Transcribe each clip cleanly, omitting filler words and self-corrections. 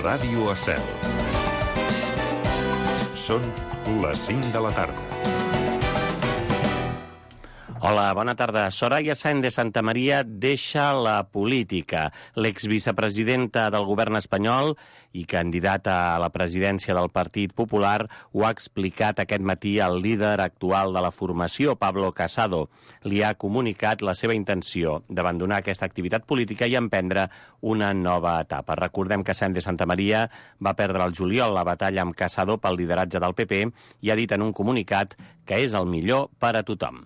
Ràdio Estel. Són les 5 de la tarda. Hola, bona tarda. Soraya Sáenz de Santamaría deixa la política. L'exvicepresidenta del govern espanyol i candidata a la presidència del Partit Popular ho ha explicat aquest matí al líder actual de la formació, Pablo Casado. Li ha comunicat la seva intenció d'abandonar aquesta activitat política i emprendre una nova etapa. Recordem que Sáenz de Santamaría va perdre el juliol la batalla amb Casado pel lideratge del PP i ha dit en un comunicat que és el millor per a tothom.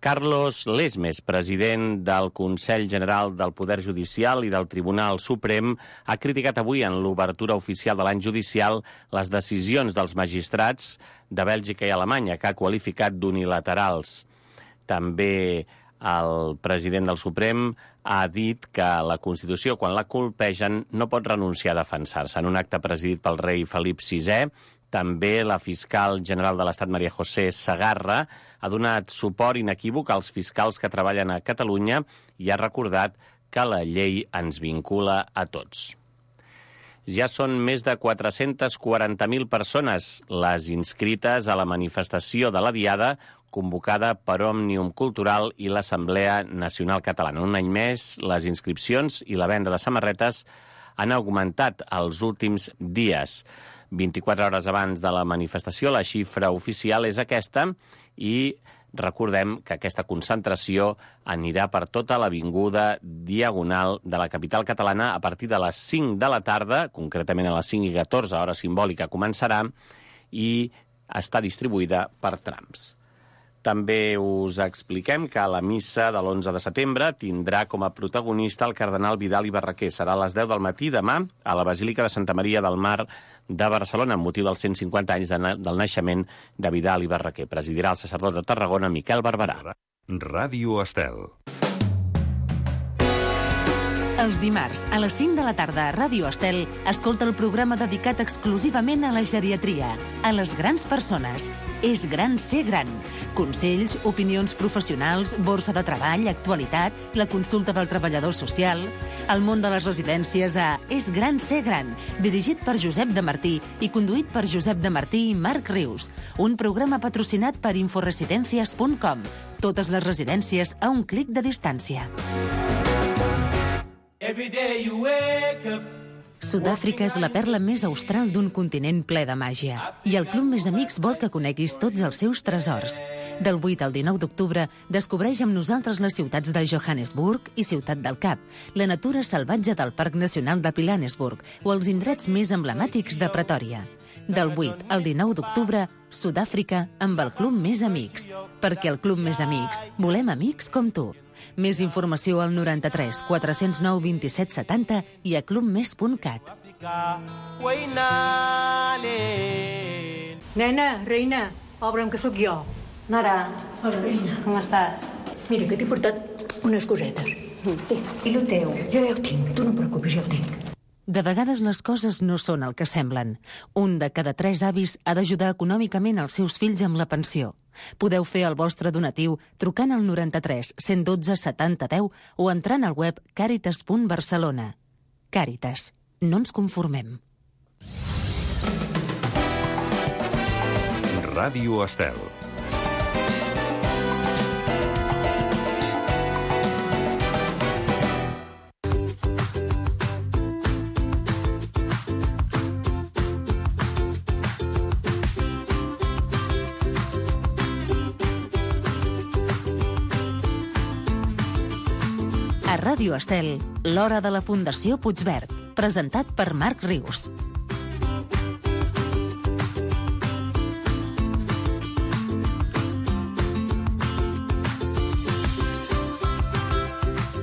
Carlos Lesmes, president del Consell General del Poder Judicial i del Tribunal Suprem, ha criticat avui en l'obertura oficial de l'any judicial les decisions dels magistrats de Bèlgica i Alemanya, que ha qualificat d'unilaterals. També el president del Suprem ha dit que la Constitució, quan la colpegen, no pot renunciar a defensar-se. En un acte presidit pel rei Felip VI, també la fiscal general de l'Estat, María José Segarra, ha donat suport inequívoc als fiscals que treballen a Catalunya i ha recordat que la llei ens vincula a tots. Ja són més de 440.000 persones les inscrites a la manifestació de la Diada convocada per Òmnium Cultural i l'Assemblea Nacional Catalana. Un any més, les inscripcions i la venda de samarretes han augmentat els últims dies. 24 hores abans de la manifestació, la xifra oficial és aquesta i recordem que aquesta concentració anirà per tota l'avinguda Diagonal de la capital catalana a partir de les 5 de la tarda, concretament a les 5:14, hora simbòlica, començarà, i està distribuïda per trams. També us expliquem que la missa de l'11 de setembre tindrà com a protagonista el cardenal Vidal i Barraquer. Serà a les 10 del matí demà a la Basílica de Santa Maria del Mar de Barcelona, amb motiu dels 150 anys del naixement de Vidal i Barraquer. Presidirà el sacerdot de Tarragona, Miquel Barberà. Ràdio Estel. Els dimarts, a les 5 de la tarda a Ràdio Estel, escolta el programa dedicat exclusivament a la geriatria, a les grans persones. És gran ser gran. Consells, opinions professionals, borsa de treball, actualitat, la consulta del treballador social, el món de les residències a És gran ser gran, dirigit per Josep de Martí i conduït per Josep de Martí i Marc Rius. Un programa patrocinat per inforesidencias.com. Totes les residències a un clic de distància. Sud-àfrica és la perla més austral d'un continent ple de màgia. I el Club Més Amics vol que coneguis tots els seus tresors. Del 8 al 19 d'octubre, descobreix amb nosaltres les ciutats de Johannesburg i Ciutat del Cap, la natura salvatge del Parc Nacional de Pilanesburg o els indrets més emblemàtics de Pretòria. Del 8 al 19 d'octubre, Sud-àfrica amb el Club Més Amics. Perquè al Club Més Amics volem amics com tu. Més informació al 93 409 27 70 i a clubmes.cat. Nena, reina, obre'm que sóc jo. Mare. Hola, reina. Com estàs? Mira, que t'he portat unes cosetes. I lo teu? Jo ja ho tinc, tu no et preocupis, ja ho tinc. De vegades les coses no són el que semblen. Un de cada 3 avis ha d'ajudar econòmicament els seus fills amb la pensió. Podeu fer el vostre donatiu trucant al 93 112 70 10 o entrant al web caritas.barcelona. Càritas. No ens conformem. Ràdio Estel. A Ràdio Estel, l'hora de la Fundació Puigverd, presentat per Marc Rius.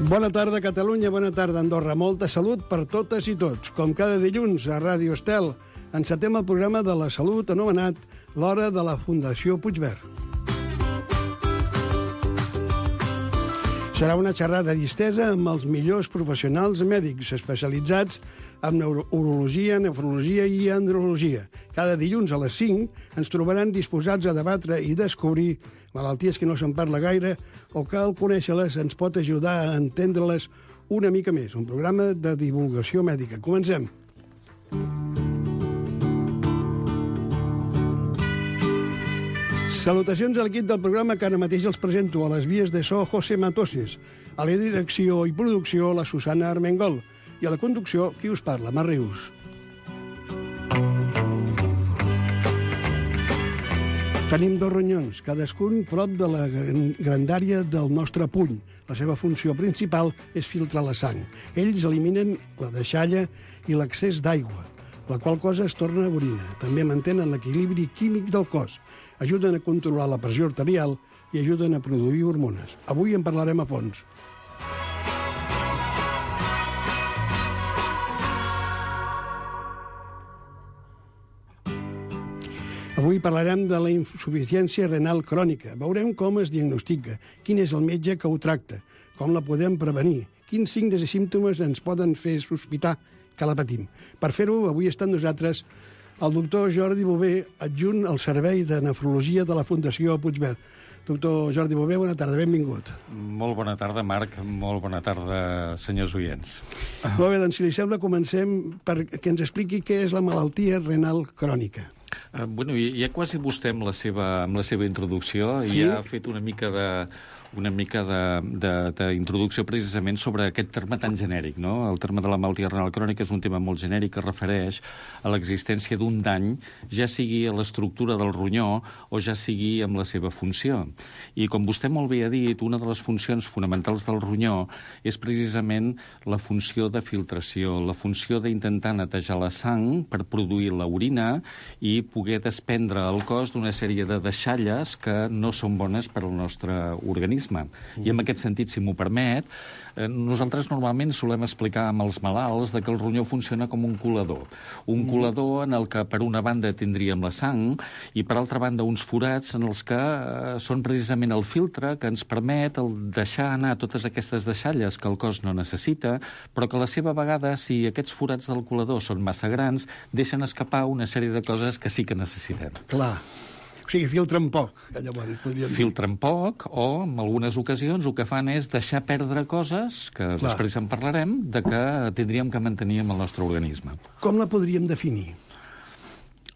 Bona tarda, Catalunya, bona tarda, Andorra. Molta salut per totes i tots. Com cada dilluns a Ràdio Estel, encetem el programa de la salut anomenat l'hora de la Fundació Puigverd. Serà una xerrada distesa amb els millors professionals mèdics especialitzats en neurologia, nefrologia i andrologia. Cada dilluns a les 5 ens trobaran disposats a debatre i descobrir malalties que no se'n parla gaire o que al conèixer-les ens pot ajudar a entendre-les una mica més. Un programa de divulgació mèdica. Comencem. Salutacions a l'equip del programa que ara mateix els presento. A les vies de so, José Matoses. A la direcció i producció, la Susana Armengol. I a la conducció, qui us parla, Mar Rius. Tenim dos ronyons, cadascun prop de la grandària del nostre puny. La seva funció principal és filtrar la sang. Ells eliminen la deixalla i l'excés d'aigua, la qual cosa es torna orina. També mantenen l'equilibri químic del cos. Ajuden a controlar la pressió arterial i ajuden a produir hormones. Avui en parlarem a fons. Avui parlarem de la insuficiència renal crònica. Veurem com es diagnostica, quin és el metge que ho tracta, com la podem prevenir, quins signes i símptomes ens poden fer sospitar que la patim. Per fer-ho, avui està amb nosaltres el doctor Jordi Bové, adjunt al Servei de Nefrologia de la Fundació Puigverd. Doctor Jordi Bové, bona tarda, benvingut. Molt bona tarda, Marc. Molt bona tarda, senyors oients. Molt bé, doncs, si li sembla, comencem perquè ens expliqui què és la malaltia renal crònica. Bueno, ja quasi vostè amb la seva introducció sí? Ja ha fet una mica d'introducció precisament sobre aquest terme tan genèric, no? El terme de la malaltia renal crònica és un tema molt genèric que refereix a l'existència d'un dany, ja sigui a l'estructura del ronyó o ja sigui amb la seva funció. I com vostè molt bé ha dit, una de les funcions fonamentals del ronyó és precisament la funció de filtració, la funció d'intentar netejar la sang per produir l'orina i poder desprendre el cos d'una sèrie de deixalles que no són bones per al nostre organisme. I en aquest sentit, si m'ho permet, nosaltres normalment solem explicar amb els malalts que el ronyó funciona com un colador. Un colador en el que per una banda tindríem la sang i per altra banda uns forats en els que són precisament el filtre que ens permet deixar anar totes aquestes deixalles que el cos no necessita, però que a la seva vegada, si aquests forats del colador són massa grans, deixen escapar una sèrie de coses que sí que necessitem. Clar. O sigui, filtren poc, llavors, podríem dir. Filtren poc o, en algunes ocasions, el que fan és deixar perdre coses, que després en parlarem, de que tindríem que mantenir amb el nostre organisme. Com la podríem definir?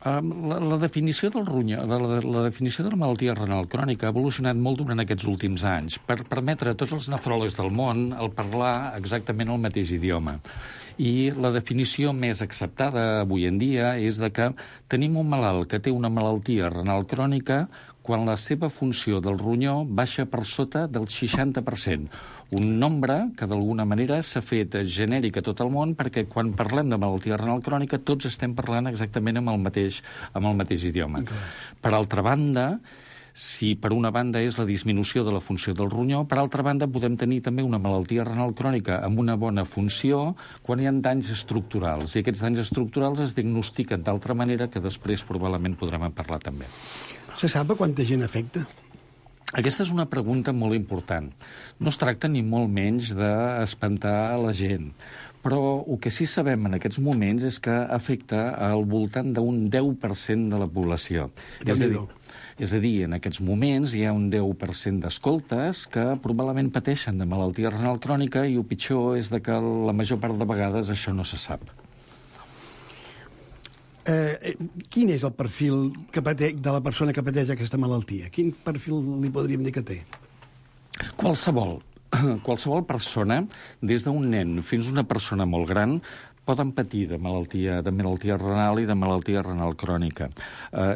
La definició del ronyó, la definició de la malaltia renal crònica ha evolucionat molt durant aquests últims anys per permetre a tots els nefròlegs del món el parlar exactament el mateix idioma. I la definició més acceptada avui en dia és de que tenim un malalt que té una malaltia renal crònica quan la seva funció del ronyó baixa per sota del 60%. Un nombre que d'alguna manera s'ha fet genèric a tot el món perquè quan parlem de malaltia renal crònica tots estem parlant exactament amb el mateix idioma. Okay. Per altra banda, si per una banda és la disminució de la funció del ronyó, per altra banda podem tenir també una malaltia renal crònica amb una bona funció quan hi ha danys estructurals. I aquests danys estructurals es diagnostiquen d'altra manera que després probablement podrem parlar també. Se sap a quanta gent afecta? Aquesta és una pregunta molt important. No es tracta ni molt menys d'espantar la gent, però el que sí sabem en aquests moments és que afecta al voltant d'un 10% de la població. És a dir, en aquests moments hi ha un 10% d'escoltes que probablement pateixen de malaltia renal crònica i el pitjor és que la major part de vegades això no se sap. Quin és el perfil de la persona que pateix aquesta malaltia? Quin perfil li podríem dir que té? Qualsevol persona, des d'un nen fins a una persona molt gran, poden patir de malaltia renal i de malaltia renal crònica.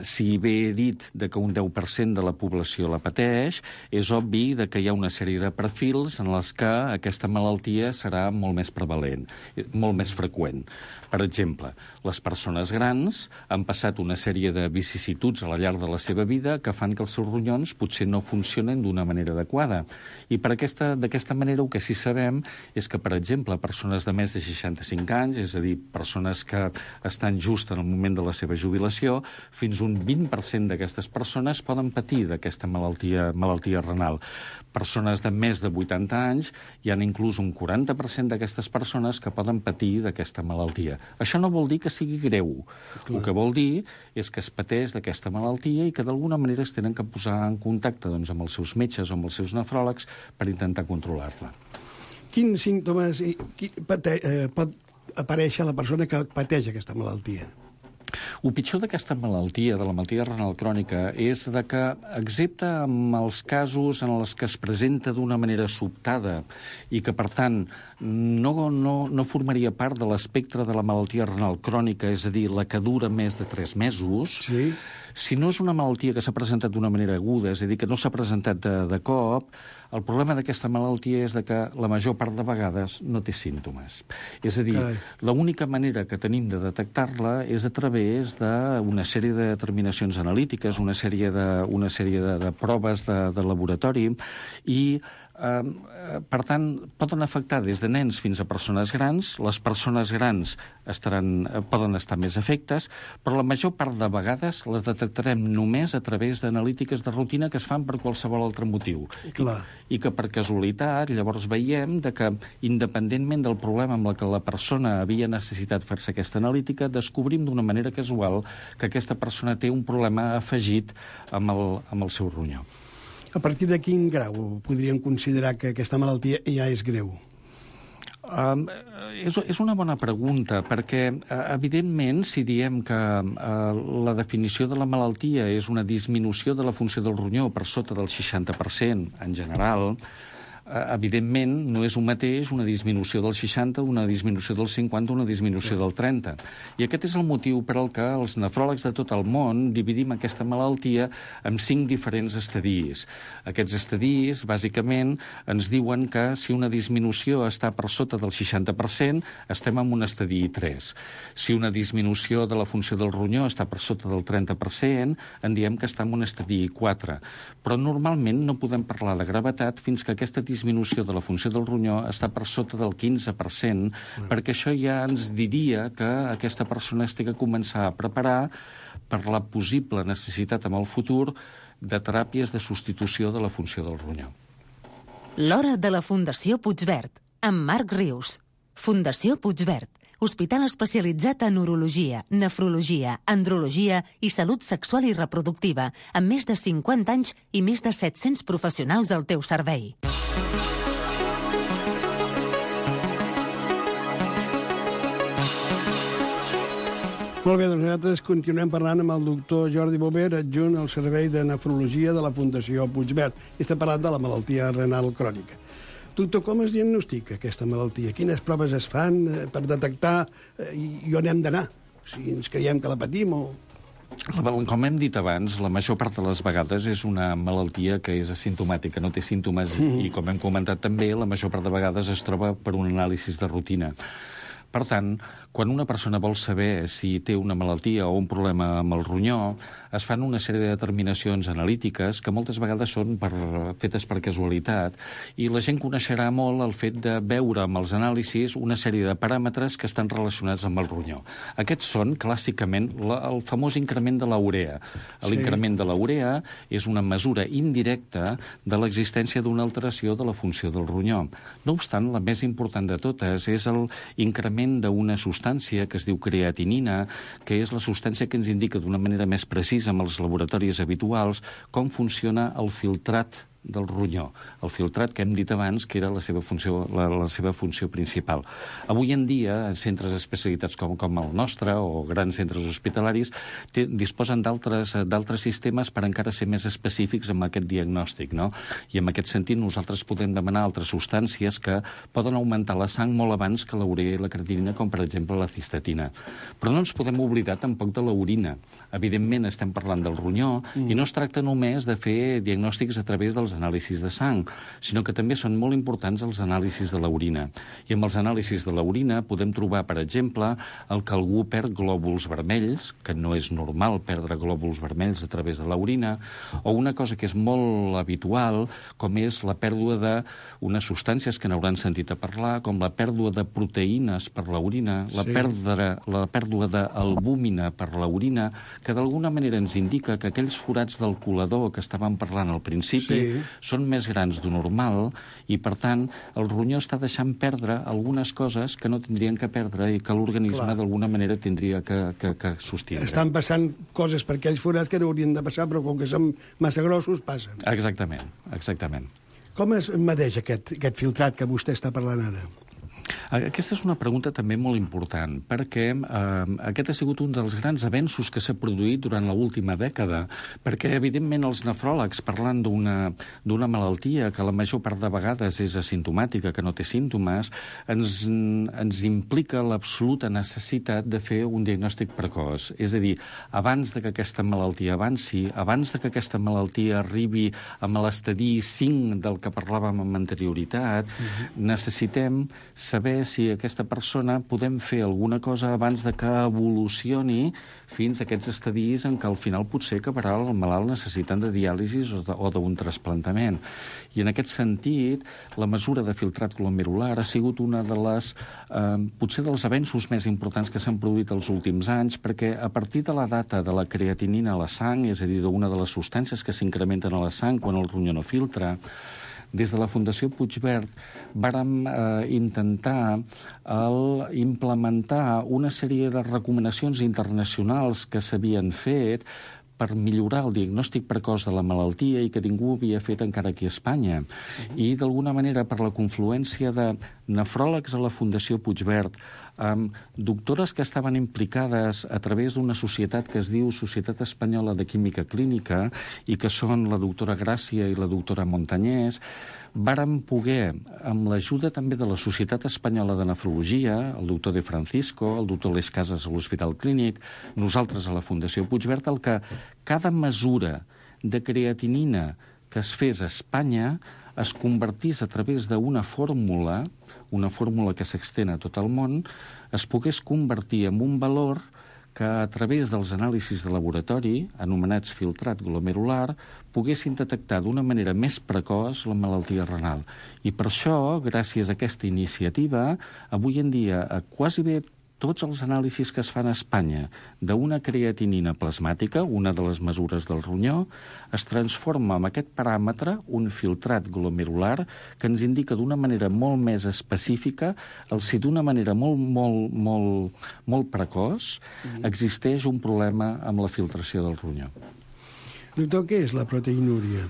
Si bé he dit que un 10% de la població la pateix, és obvi que hi ha una sèrie de perfils en els que aquesta malaltia serà molt més prevalent, molt més freqüent. Per exemple, les persones grans han passat una sèrie de vicissituds a la llarg de la seva vida que fan que els seus ronyons potser no funcionen d'una manera adequada. I d'aquesta manera el que sí sabem és que, per exemple, persones de més de 65 anys, és a dir, persones que estan just en el moment de la seva jubilació, fins un 20% d'aquestes persones poden patir d'aquesta malaltia renal. Persones de més de 80 anys, hi ha inclús un 40% d'aquestes persones que poden patir d'aquesta malaltia. Això no vol dir que sigui greu. Clar. El que vol dir és que es pateix d'aquesta malaltia i que d'alguna manera es tenen que posar en contacte amb els seus metges o amb els seus nefròlegs per intentar controlar-la. Quins símptomes pot aparèixer a la persona que pateix aquesta malaltia? El pitjor d'aquesta malaltia, de la malaltia renal crònica, és de que, excepte en els casos en els que es presenta d'una manera sobtada i que, per tant, no formaria part de l'espectre de la malaltia renal crònica, és a dir, la que dura més de 3 mesos, Sí. si no és una malaltia que s'ha presentat d'una manera aguda, és a dir, que no s'ha presentat de cop, el problema d'aquesta malaltia és de que la major part de vegades no té símptomes. És a dir, l'única manera que tenim de detectar-la és a través d'una sèrie de determinacions analítiques, una sèrie de proves de laboratori i per tant, poden afectar des de nens fins a persones grans. Les persones grans poden estar més afectes, però la major part de vegades les detectarem només a través d'analítiques de rutina que es fan per qualsevol altre motiu. I que per casualitat llavors veiem que, independentment del problema amb el que la persona havia necessitat fer-se aquesta analítica, descobrim d'una manera casual que aquesta persona té un problema afegit amb el seu ronyó. A partir de quin grau podríem considerar que aquesta malaltia ja és greu? És una bona pregunta, perquè, evidentment, si diem que la definició de la malaltia és una disminució de la funció del ronyó per sota del 60% en general, evidentment, no és un mateix una disminució del 60, una disminució del 50, una disminució del 30. I aquest és el motiu per al que els nefròlegs de tot el món dividim aquesta malaltia en 5 diferents estadis. Aquests estadis, bàsicament, ens diuen que si una disminució està per sota del 60%, estem en un estadi 3. Si una disminució de la funció del ronyó està per sota del 30%, en diem que està en un estadi 4. Però normalment no podem parlar de gravetat fins que aquesta disminució de la funció del ronyó està per sota del 15%, perquè això ja ens diria que aquesta persona es té que començar a preparar per la possible necessitat en el futur de teràpies de substitució de la funció del ronyó. L'hora de la Fundació Puigverd, amb Marc Rius. Fundació Puigverd, hospital especialitzat en urologia, nefrologia, andrologia i salut sexual i reproductiva, amb més de 50 anys i més de 700 professionals al teu servei. Molt bé, doncs nosaltres continuem parlant amb el doctor Jordi Bover, adjunt al Servei de Nefrologia de la Fundació Puigverd. I estem parlant de la malaltia renal crònica. Doctor, com es diagnostica aquesta malaltia? Quines proves es fan per detectar i on hem d'anar? Si ens creiem que la patim o... Com hem dit abans, la major part de les vegades és una malaltia que és asimptomàtica, no té símptomes, i com hem comentat també, la major part de vegades es troba per un anàlisi de rutina. Per tant, quan una persona vol saber si té una malaltia o un problema amb el ronyó, es fan una sèrie de determinacions analítiques que moltes vegades són fetes per casualitat, i la gent coneixerà molt el fet de veure amb els anàlisis una sèrie de paràmetres que estan relacionats amb el ronyó. Aquests són, clàssicament, el famós increment de la urea. L'increment de la urea és una mesura indirecta de l'existència d'una alteració de la funció del ronyó. No obstant, la més important de totes és l'increment d'una substància que es diu creatinina, que és la substància que ens indica d'una manera més precisa amb els laboratoris habituals com funciona el filtrat del ronyó. El filtrat que hem dit abans que era la seva funció principal. Avui en dia, centres especialitats com el nostre o grans centres hospitalaris disposen d'altres sistemes per encara ser més específics amb aquest diagnòstic, no? I en aquest sentit nosaltres podem demanar altres substàncies que poden augmentar la sang molt abans que la urea i la creatinina, com per exemple la cistatina. Però no ens podem oblidar tampoc de l'orina. Evidentment estem parlant del ronyó i no es tracta només de fer diagnòstics a través dels anàlisis de sang, sinó que també són molt importants els anàlisis de l'orina. I amb els anàlisis de l'orina podem trobar, per exemple, el que algú perd glòbuls vermells, que no és normal perdre glòbuls vermells a través de l'orina, o una cosa que és molt habitual, com és la pèrdua d'unes substàncies que n'hauran sentit a parlar, com la pèrdua de proteïnes per l'orina, la pèrdua d'albúmina per l'orina, que d'alguna manera ens indica que aquells forats del colador que estàvem parlant al principi són més grans d'un normal i, per tant, el ronyó està deixant perdre algunes coses que no tindrien que perdre i que l'organisme d'alguna manera tindria que sostindre. Estan passant coses per aquells forats que no haurien de passar, però com que són massa grossos, passen. Exactament. Com es medeix aquest filtrat que vostè està parlant ara? Aquesta és una pregunta també molt important, perquè aquest ha sigut un dels grans avenços que s'ha produït durant l'última dècada, perquè, evidentment, els nefròlegs, parlant d'una malaltia que la major part de vegades és asimptomàtica, que no té símptomes, ens implica l'absoluta necessitat de fer un diagnòstic precoç. És a dir, abans de que aquesta malaltia avanci, abans de que aquesta malaltia arribi a l'estadi 5 del que parlàvem amb anterioritat, necessitem saber si aquesta persona podem fer alguna cosa abans de que evolucioni fins a aquests estadis en què al final potser acabarà el malalt necessitant de diàlisi o d'un trasplantament. I en aquest sentit, la mesura de filtrat glomerular ha sigut una de les, potser dels avenços més importants que s'han produït els últims anys, perquè a partir de la data de la creatinina a la sang, és a dir, d'una de les substàncies que s'incrementen a la sang quan el ronyó no filtra, des de la Fundació Puigverd vàrem intentar implementar una sèrie de recomanacions internacionals que s'havien fet per millorar el diagnòstic precoç de la malaltia i que ningú havia fet encara aquí a Espanya. I, d'alguna manera, per la confluència de nefròlegs a la Fundació Puigverd, doctores que estaven implicades a través d'una societat que es diu Societat Espanyola de Química Clínica i que són la doctora Gràcia i la doctora Montañés, vàrem poder, amb l'ajuda també de la Societat Espanyola de Nefrologia, el doctor De Francisco, el doctor Les Casas a l'Hospital Clínic, nosaltres a la Fundació Puigverd, el que cada mesura de creatinina que es fes a Espanya es convertís a través d'una fórmula que s'extén a tot el món, es pogués convertir en un valor que a través dels anàlisis de laboratori, anomenats filtrat glomerular, poguessin detectar d'una manera més precoç la malaltia renal. I per això, gràcies a aquesta iniciativa, avui en dia quasi bé tots els anàlisis que es fan a Espanya d'una creatinina plasmàtica, una de les mesures del ronyó, es transforma en aquest paràmetre un filtrat glomerular que ens indica d'una manera molt més específica si d'una manera molt precoç existeix un problema amb la filtració del ronyó. Doctor, què és la proteinúria?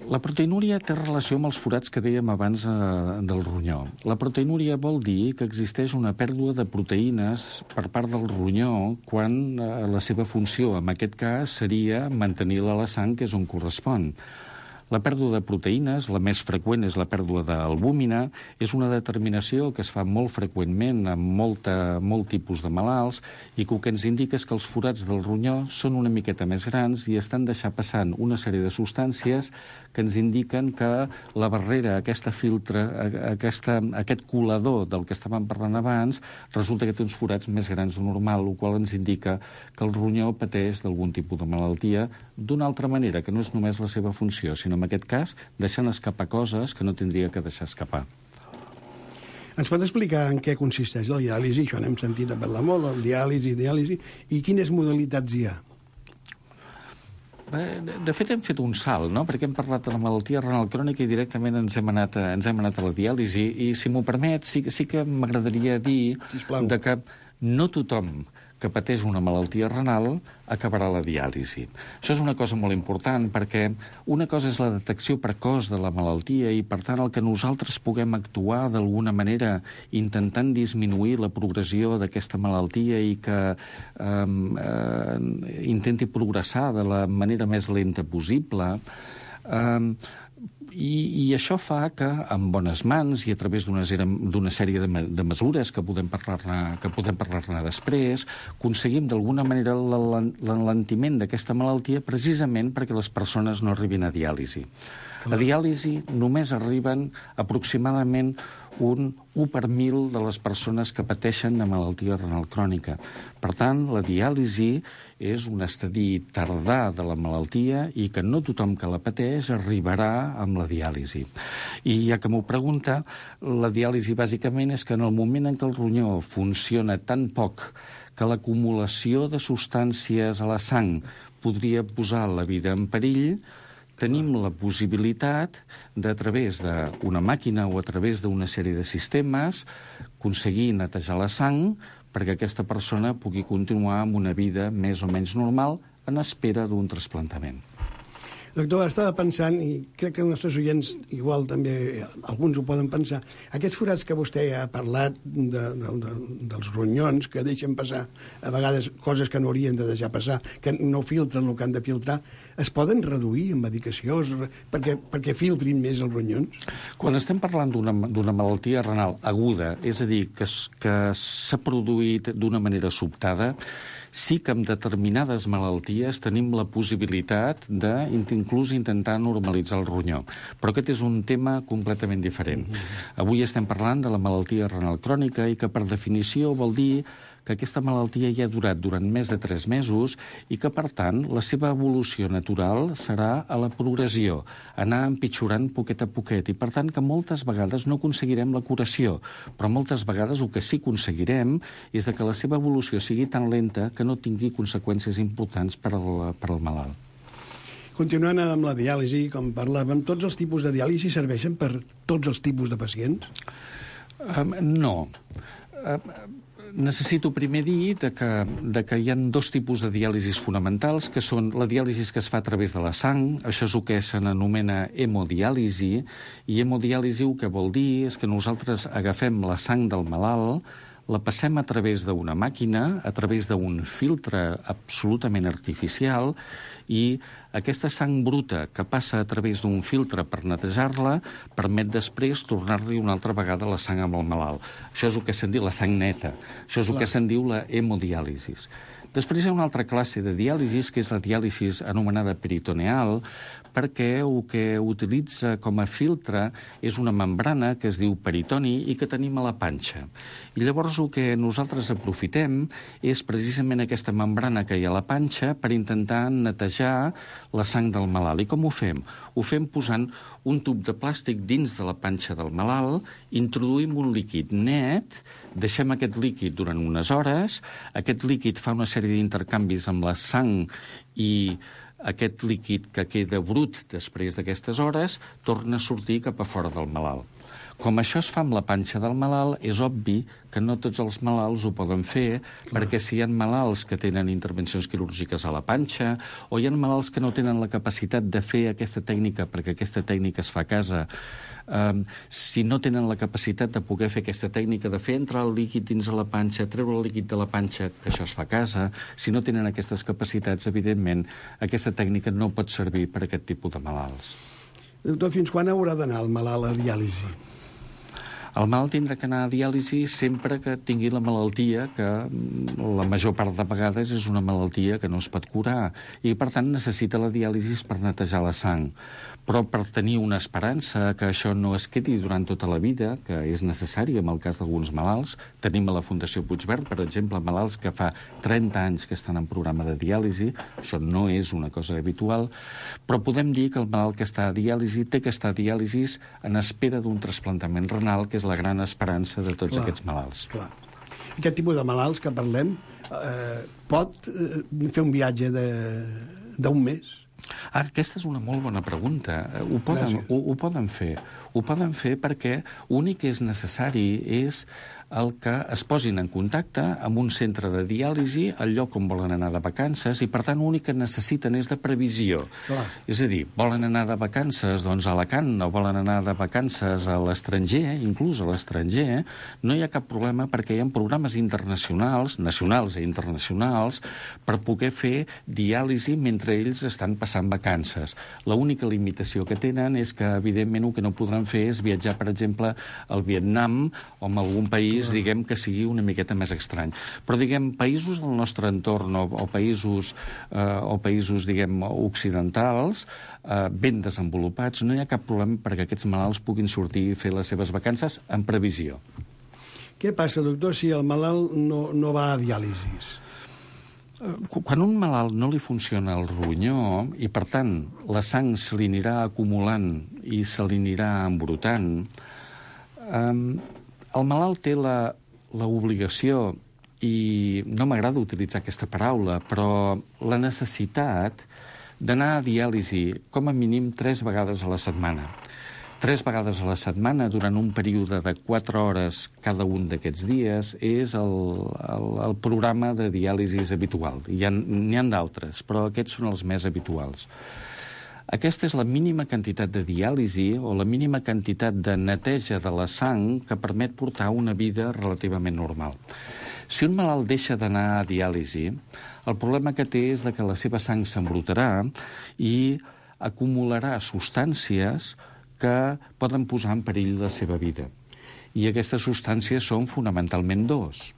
La proteinúria té relació amb els forats que dèiem abans del ronyó. La proteinúria vol dir que existeix una pèrdua de proteïnes per part del ronyó quan la seva funció, en aquest cas, seria mantenir-la a la sang, que és on correspon. La pèrdua de proteïnes, la més freqüent és la pèrdua d'albúmina, és una determinació que es fa molt freqüentment en molt tipus de malalts i que el que ens indica és que els forats del ronyó són una miqueta més grans i estan deixant passant una sèrie de substàncies que ens indiquen que la barrera, aquest colador del que estàvem parlant abans, resulta que té uns forats més grans de normal, el qual ens indica que el ronyó pateix d'algun tipus de malaltia d'una altra manera, que no és només la seva funció, sinó en aquest cas deixant escapar coses que no tindria que deixar escapar. Ens pot explicar en què consisteix la diàlisi? Això n'hem sentit a parlar molt, el diàlisi, i quines modalitats hi ha? De fet, hem fet un salt, no? Perquè hem parlat de la malaltia renal crònica i directament ens hem anat a la diàlisi. I, si m'ho permet, sí que m'agradaria dir que no tothom que pateix una malaltia renal acabarà la diàlisi. Això és una cosa molt important perquè una cosa és la detecció precoç de la malaltia i, per tant, el que nosaltres puguem actuar d'alguna manera intentant disminuir la progressió d'aquesta malaltia i que intenti progressar de la manera més lenta possible. I això fa que, amb bones mans i a través d'una sèrie de mesures que podem parlar-ne després, aconseguim d'alguna manera l'enlentiment d'aquesta malaltia precisament perquè les persones no arribin a diàlisi. A diàlisi només arriben aproximadament un 1 per 1.000 de les persones que pateixen de malaltia renal crònica. Per tant, la diàlisi és un estadi tardà de la malaltia i que no tothom que la pateix arribarà amb la diàlisi. I ja que m'ho pregunta, la diàlisi bàsicament és que en el moment en què el ronyó funciona tan poc que l'acumulació de substàncies a la sang podria posar la vida en perill, tenim la possibilitat de, a través d'una màquina o a través d'una sèrie de sistemes, aconseguir netejar la sang perquè aquesta persona pugui continuar amb una vida més o menys normal en espera d'un trasplantament. Doctor, estava pensant, i crec que els nostres oients igual també, alguns ho poden pensar, aquests forats que vostè ha parlat dels ronyons que deixen passar a vegades coses que no haurien de deixar passar, que no filtren el que han de filtrar, es poden reduir amb medicació perquè filtrin més els ronyons? Quan estem parlant d'una malaltia renal aguda, és a dir, que s'ha produït d'una manera sobtada, sí que amb determinades malalties tenim la possibilitat d'inclús intentar normalitzar el ronyó. Però aquest és un tema completament diferent. Avui estem parlant de la malaltia renal crònica i que per definició vol dir que aquesta malaltia ja ha durat durant més de 3 mesos i que, per tant, la seva evolució natural serà a la progressió, anar empitjorant poquet a poquet, i, per tant, que moltes vegades no aconseguirem la curació, però moltes vegades el que sí que aconseguirem és que la seva evolució sigui tan lenta que no tingui conseqüències importants per al malalt. Continuant amb la diàlisi, com parlàvem, tots els tipus de diàlisi serveixen per tots els tipus de pacients? No. Necessito primer dir que hi ha 2 tipus de diàlisis fonamentals, que són la diàlisi que es fa a través de la sang, això és el que s'anomena hemodiàlisi, i hemodiàlisi el que vol dir és que nosaltres agafem la sang del malalt, la passem a través d'una màquina, a través d'un filtre absolutament artificial, i aquesta sang bruta que passa a través d'un filtre per netejar-la permet després tornar-li una altra vegada la sang amb el malalt. Això és el que se'n diu la sang neta. Això és el que se'n diu la hemodiàlisi. Després hi ha una altra classe de diàlisi, que és la diàlisi anomenada peritoneal, perquè el que utilitza com a filtre és una membrana que es diu peritoni i que tenim a la panxa. I llavors el que nosaltres aprofitem és precisament aquesta membrana que hi ha a la panxa per intentar netejar la sang del malalt. I com ho fem? Ho fem posant un tub de plàstic dins de la panxa del malalt, introduïm un líquid net, deixem aquest líquid durant unes hores, aquest líquid fa una sèrie d'intercanvis amb la sang i aquest líquid que queda brut després d'aquestes hores torna a sortir cap a fora del malalt. Com això es fa amb la panxa del malalt, és obvi que no tots els malalts ho poden fer, perquè si hi ha malalts que tenen intervencions quirúrgiques a la panxa, o hi ha malalts que no tenen la capacitat de fer aquesta tècnica, perquè aquesta tècnica es fa a casa, si no tenen la capacitat de poder fer aquesta tècnica, de fer entrar el líquid dins de la panxa, treure el líquid de la panxa, que això es fa a casa, si no tenen aquestes capacitats, evidentment, aquesta tècnica no pot servir per a aquest tipus de malalts. Doctor, fins quan haurà d'anar el malalt a diàlisi? El malalt tindrà que anar a diàlisi sempre que tingui la malaltia, que la major part de vegades és una malaltia que no es pot curar, i per tant necessita la diàlisi per netejar la sang. Però per tenir una esperança que això no es quedi durant tota la vida, que és necessari en el cas d'alguns malalts, tenim a la Fundació Puigverd, per exemple, malalts que fa 30 anys que estan en programa de diàlisi, això no és una cosa habitual, però podem dir que el malalt que està a diàlisi té que estar a diàlisi en espera d'un trasplantament renal, que és la gran esperança de tots aquests malalts. Clar. Aquest tipus de malalts que parlem pot fer un viatge d'un mes? Aquesta és una molt bona pregunta. Ho poden fer. Ho poden fer perquè l'únic que és necessari és el que es posin en contacte amb un centre de diàlisi al lloc on volen anar de vacances, i per tant l'únic que necessiten és de previsió. Clar. És a dir, volen anar de vacances doncs, a Alacant, o volen anar de vacances a l'estranger, inclús a l'estranger, no hi ha cap problema perquè hi ha programes internacionals, nacionals i internacionals, per poder fer diàlisi mentre ells estan passant vacances. L'única limitació que tenen és que, evidentment, el que no podran fer és viatjar, per exemple, al Vietnam o a algun país, diguem, que sigui una miqueta més estrany. Però, diguem, països del nostre entorn o països, diguem, occidentals, ben desenvolupats, no hi ha cap problema perquè aquests malalts puguin sortir i fer les seves vacances en previsió. Què passa, doctor, si el malalt no va a diàlisis? Quan un malalt no li funciona el ronyó i, per tant, la sang se li anirà acumulant i se li anirà embrutant, el malalt té l'obligació, i no m'agrada utilitzar aquesta paraula, però la necessitat d'anar a diàlisi com a mínim 3 vegades a la setmana. 3 vegades a la setmana durant un període de 4 hores cada un d'aquests dies és el programa de diàlisi habitual. N'hi ha d'altres, però aquests són els més habituals. Aquesta és la mínima quantitat de diàlisi o la mínima quantitat de neteja de la sang que permet portar una vida relativament normal. Si un malalt deixa d'anar a diàlisi, el problema que té és que la seva sang s'embrutarà i acumularà substàncies que poden posar en perill la seva vida. I aquestes substàncies són fonamentalment dos.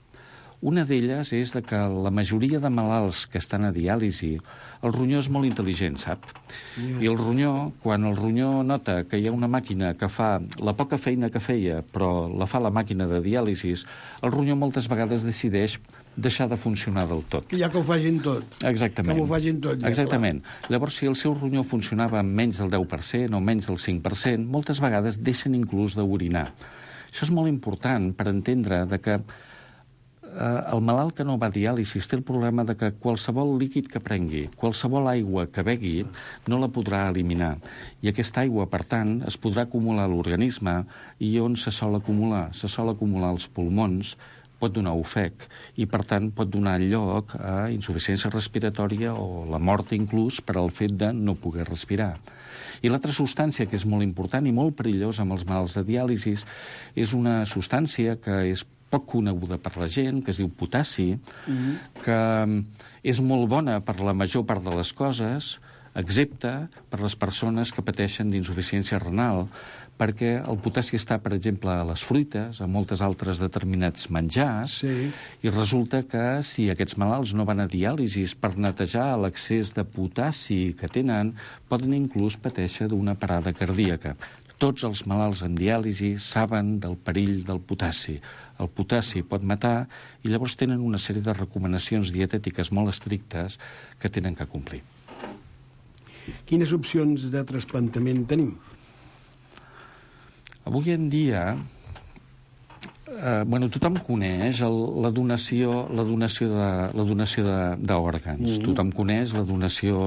Una d'elles és que la majoria de malalts que estan a diàlisi, el ronyó és molt intel·ligent, sap? I el ronyó, quan el ronyó nota que hi ha una màquina que fa la poca feina que feia, però la fa la màquina de diàlisi, el ronyó moltes vegades decideix deixar de funcionar del tot. Ja que ho facin tot. Exactament. Que ho facin tot. Ja, exactament. Clar. Llavors, si el seu ronyó funcionava amb menys del 10% o menys del 5%, moltes vegades deixen inclús d'orinar. Això és molt important per entendre que el malalt que no va a diàlisi té el problema que qualsevol líquid que prengui, qualsevol aigua que begui, no la podrà eliminar. I aquesta aigua, per tant, es podrà acumular a l'organisme i on se sol acumular? Se sol acumular als pulmons, pot donar ofec i, per tant, pot donar lloc a insuficiència respiratòria o la mort inclús per al fet de no poder respirar. I l'altra substància que és molt important i molt perillosa amb els malalts de diàlisi és una substància que és poc coneguda per la gent, que es diu potassi, que és molt bona per la major part de les coses, excepte per les persones que pateixen d'insuficiència renal, perquè el potassi està, per exemple, a les fruites, a moltes altres determinats menjars, i resulta que si aquests malalts no van a diàlisi per netejar l'excés de potassi que tenen, poden inclús patèixer d'una parada cardíaca. Tots els malalts en diàlisi saben del perill del potassi. El potassi pot matar i llavors tenen una sèrie de recomanacions dietètiques molt estrictes que tenen que complir. Quines opcions de trasplantament tenim? Avui en dia, tothom coneix la donació d'òrgans. Tothom coneix la donació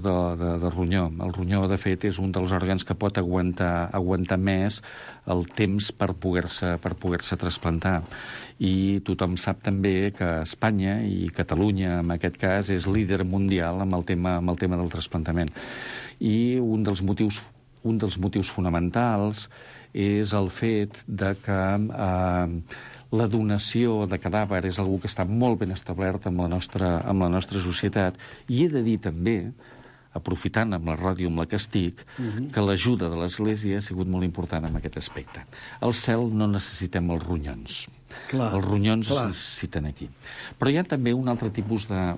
de ronyó. El ronyó, de fet, és un dels òrgans que pot aguantar més el temps per poder-se trasplantar. I tothom sap també que Espanya i Catalunya, en aquest cas, és líder mundial amb el tema del trasplantament. I un dels motius fonamentals és el fet que la donació de cadàver és algo que està molt ben establert amb la nostra societat. I he de dir també, aprofitant amb la ràdio amb la que estic, que l'ajuda de l'Església ha sigut molt important en aquest aspecte. Al cel no necessitem els ronyons. Clar, els ronyons es necessiten aquí. Però hi ha també un altre tipus de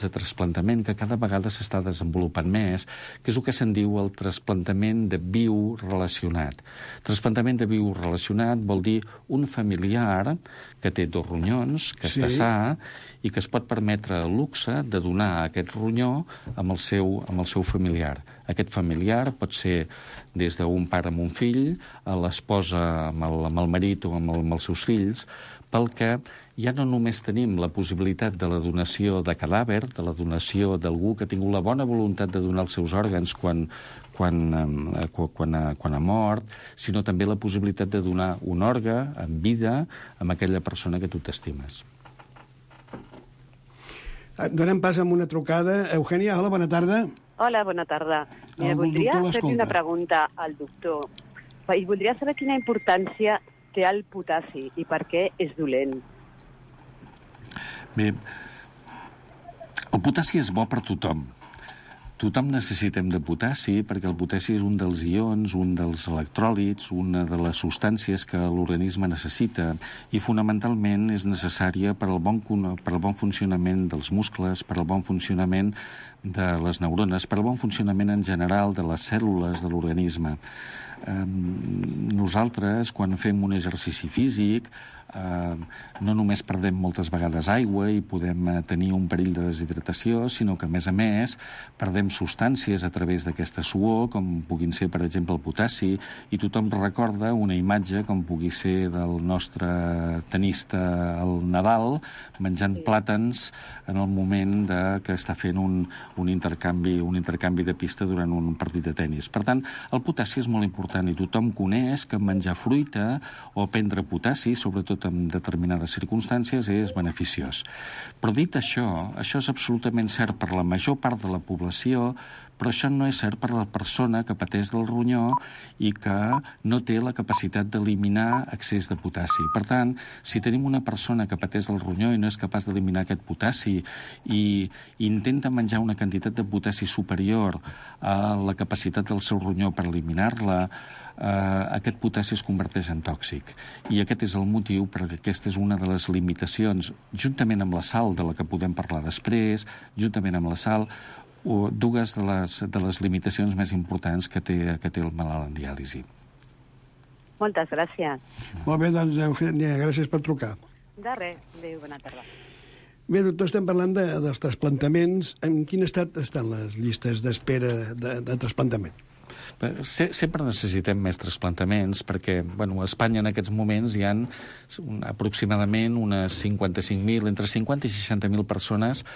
trasplantament que cada vegada s'està desenvolupant més, que és el que se'n diu el trasplantament de viu relacionat. Trasplantament de viu relacionat vol dir un familiar que té 2 ronyons, que està sa, i que es pot permetre el luxe de donar aquest ronyó amb el seu familiar. Aquest familiar pot ser des d'un pare amb un fill, a l'esposa amb el marit o amb els seus fills, pel que ja no només tenim la possibilitat de la donació de cadàver, de la donació d'algú que ha tingut la bona voluntat de donar els seus òrgans quan ha mort, sinó també la possibilitat de donar un òrgan en vida a aquella persona que tu t'estimes. Donem pas amb una trucada. Eugènia, hola, bona tarda. Hola, bona tarda. Voldria fer una pregunta al doctor. I voldria saber quina importància té el potassi i per què és dolent. Bé, el potassi és bo per tothom. Tothom necessitem de potassi perquè el potassi és un dels ions, un dels electròlits, una de les substàncies que l'organisme necessita i fonamentalment és necessària per al bon funcionament dels muscles, per al bon funcionament de les neurones, per al bon funcionament en general de les cèl·lules de l'organisme. Nosaltres, quan fem un exercici físic, no només perdem moltes vegades aigua i podem tenir un perill de deshidratació, sinó que, a més, perdem substàncies a través d'aquesta suor, com puguin ser, per exemple, el potassi, i tothom recorda una imatge com pugui ser del nostre tenista al Nadal, menjant plàtans en el moment que està fent un intercanvi de pista durant un partit de tenis. Per tant, el potassi és molt important i tothom coneix que menjar fruita o prendre potassi, sobretot sobretot en determinades circumstàncies, és beneficiós. Però dit això és absolutament cert per la major part de la població, però això no és cert per la persona que pateix del ronyó i que no té la capacitat d'eliminar excés de potassi. Per tant, si tenim una persona que pateix del ronyó i no és capaç d'eliminar aquest potassi i intenta menjar una quantitat de potassi superior a la capacitat del seu ronyó per eliminar-la, aquest potassi es converteix en tòxic. I aquest és el motiu perquè aquesta és una de les limitacions, juntament amb la sal, de la que podem parlar després, juntament amb la sal, dues de les limitacions més importants que té el malalt en diàlisi. Moltes gràcies. Molt bé, doncs, Eugènia, gràcies per trucar. De res. Adéu, bona tarda. Bé, doctor, estem parlant dels trasplantaments. En quin estat estan les llistes d'espera de trasplantament? Sempre necessitem més trasplantaments perquè, a Espanya en aquests moments hi ha aproximadament unes 55.000, entre 50 i 60.000 persones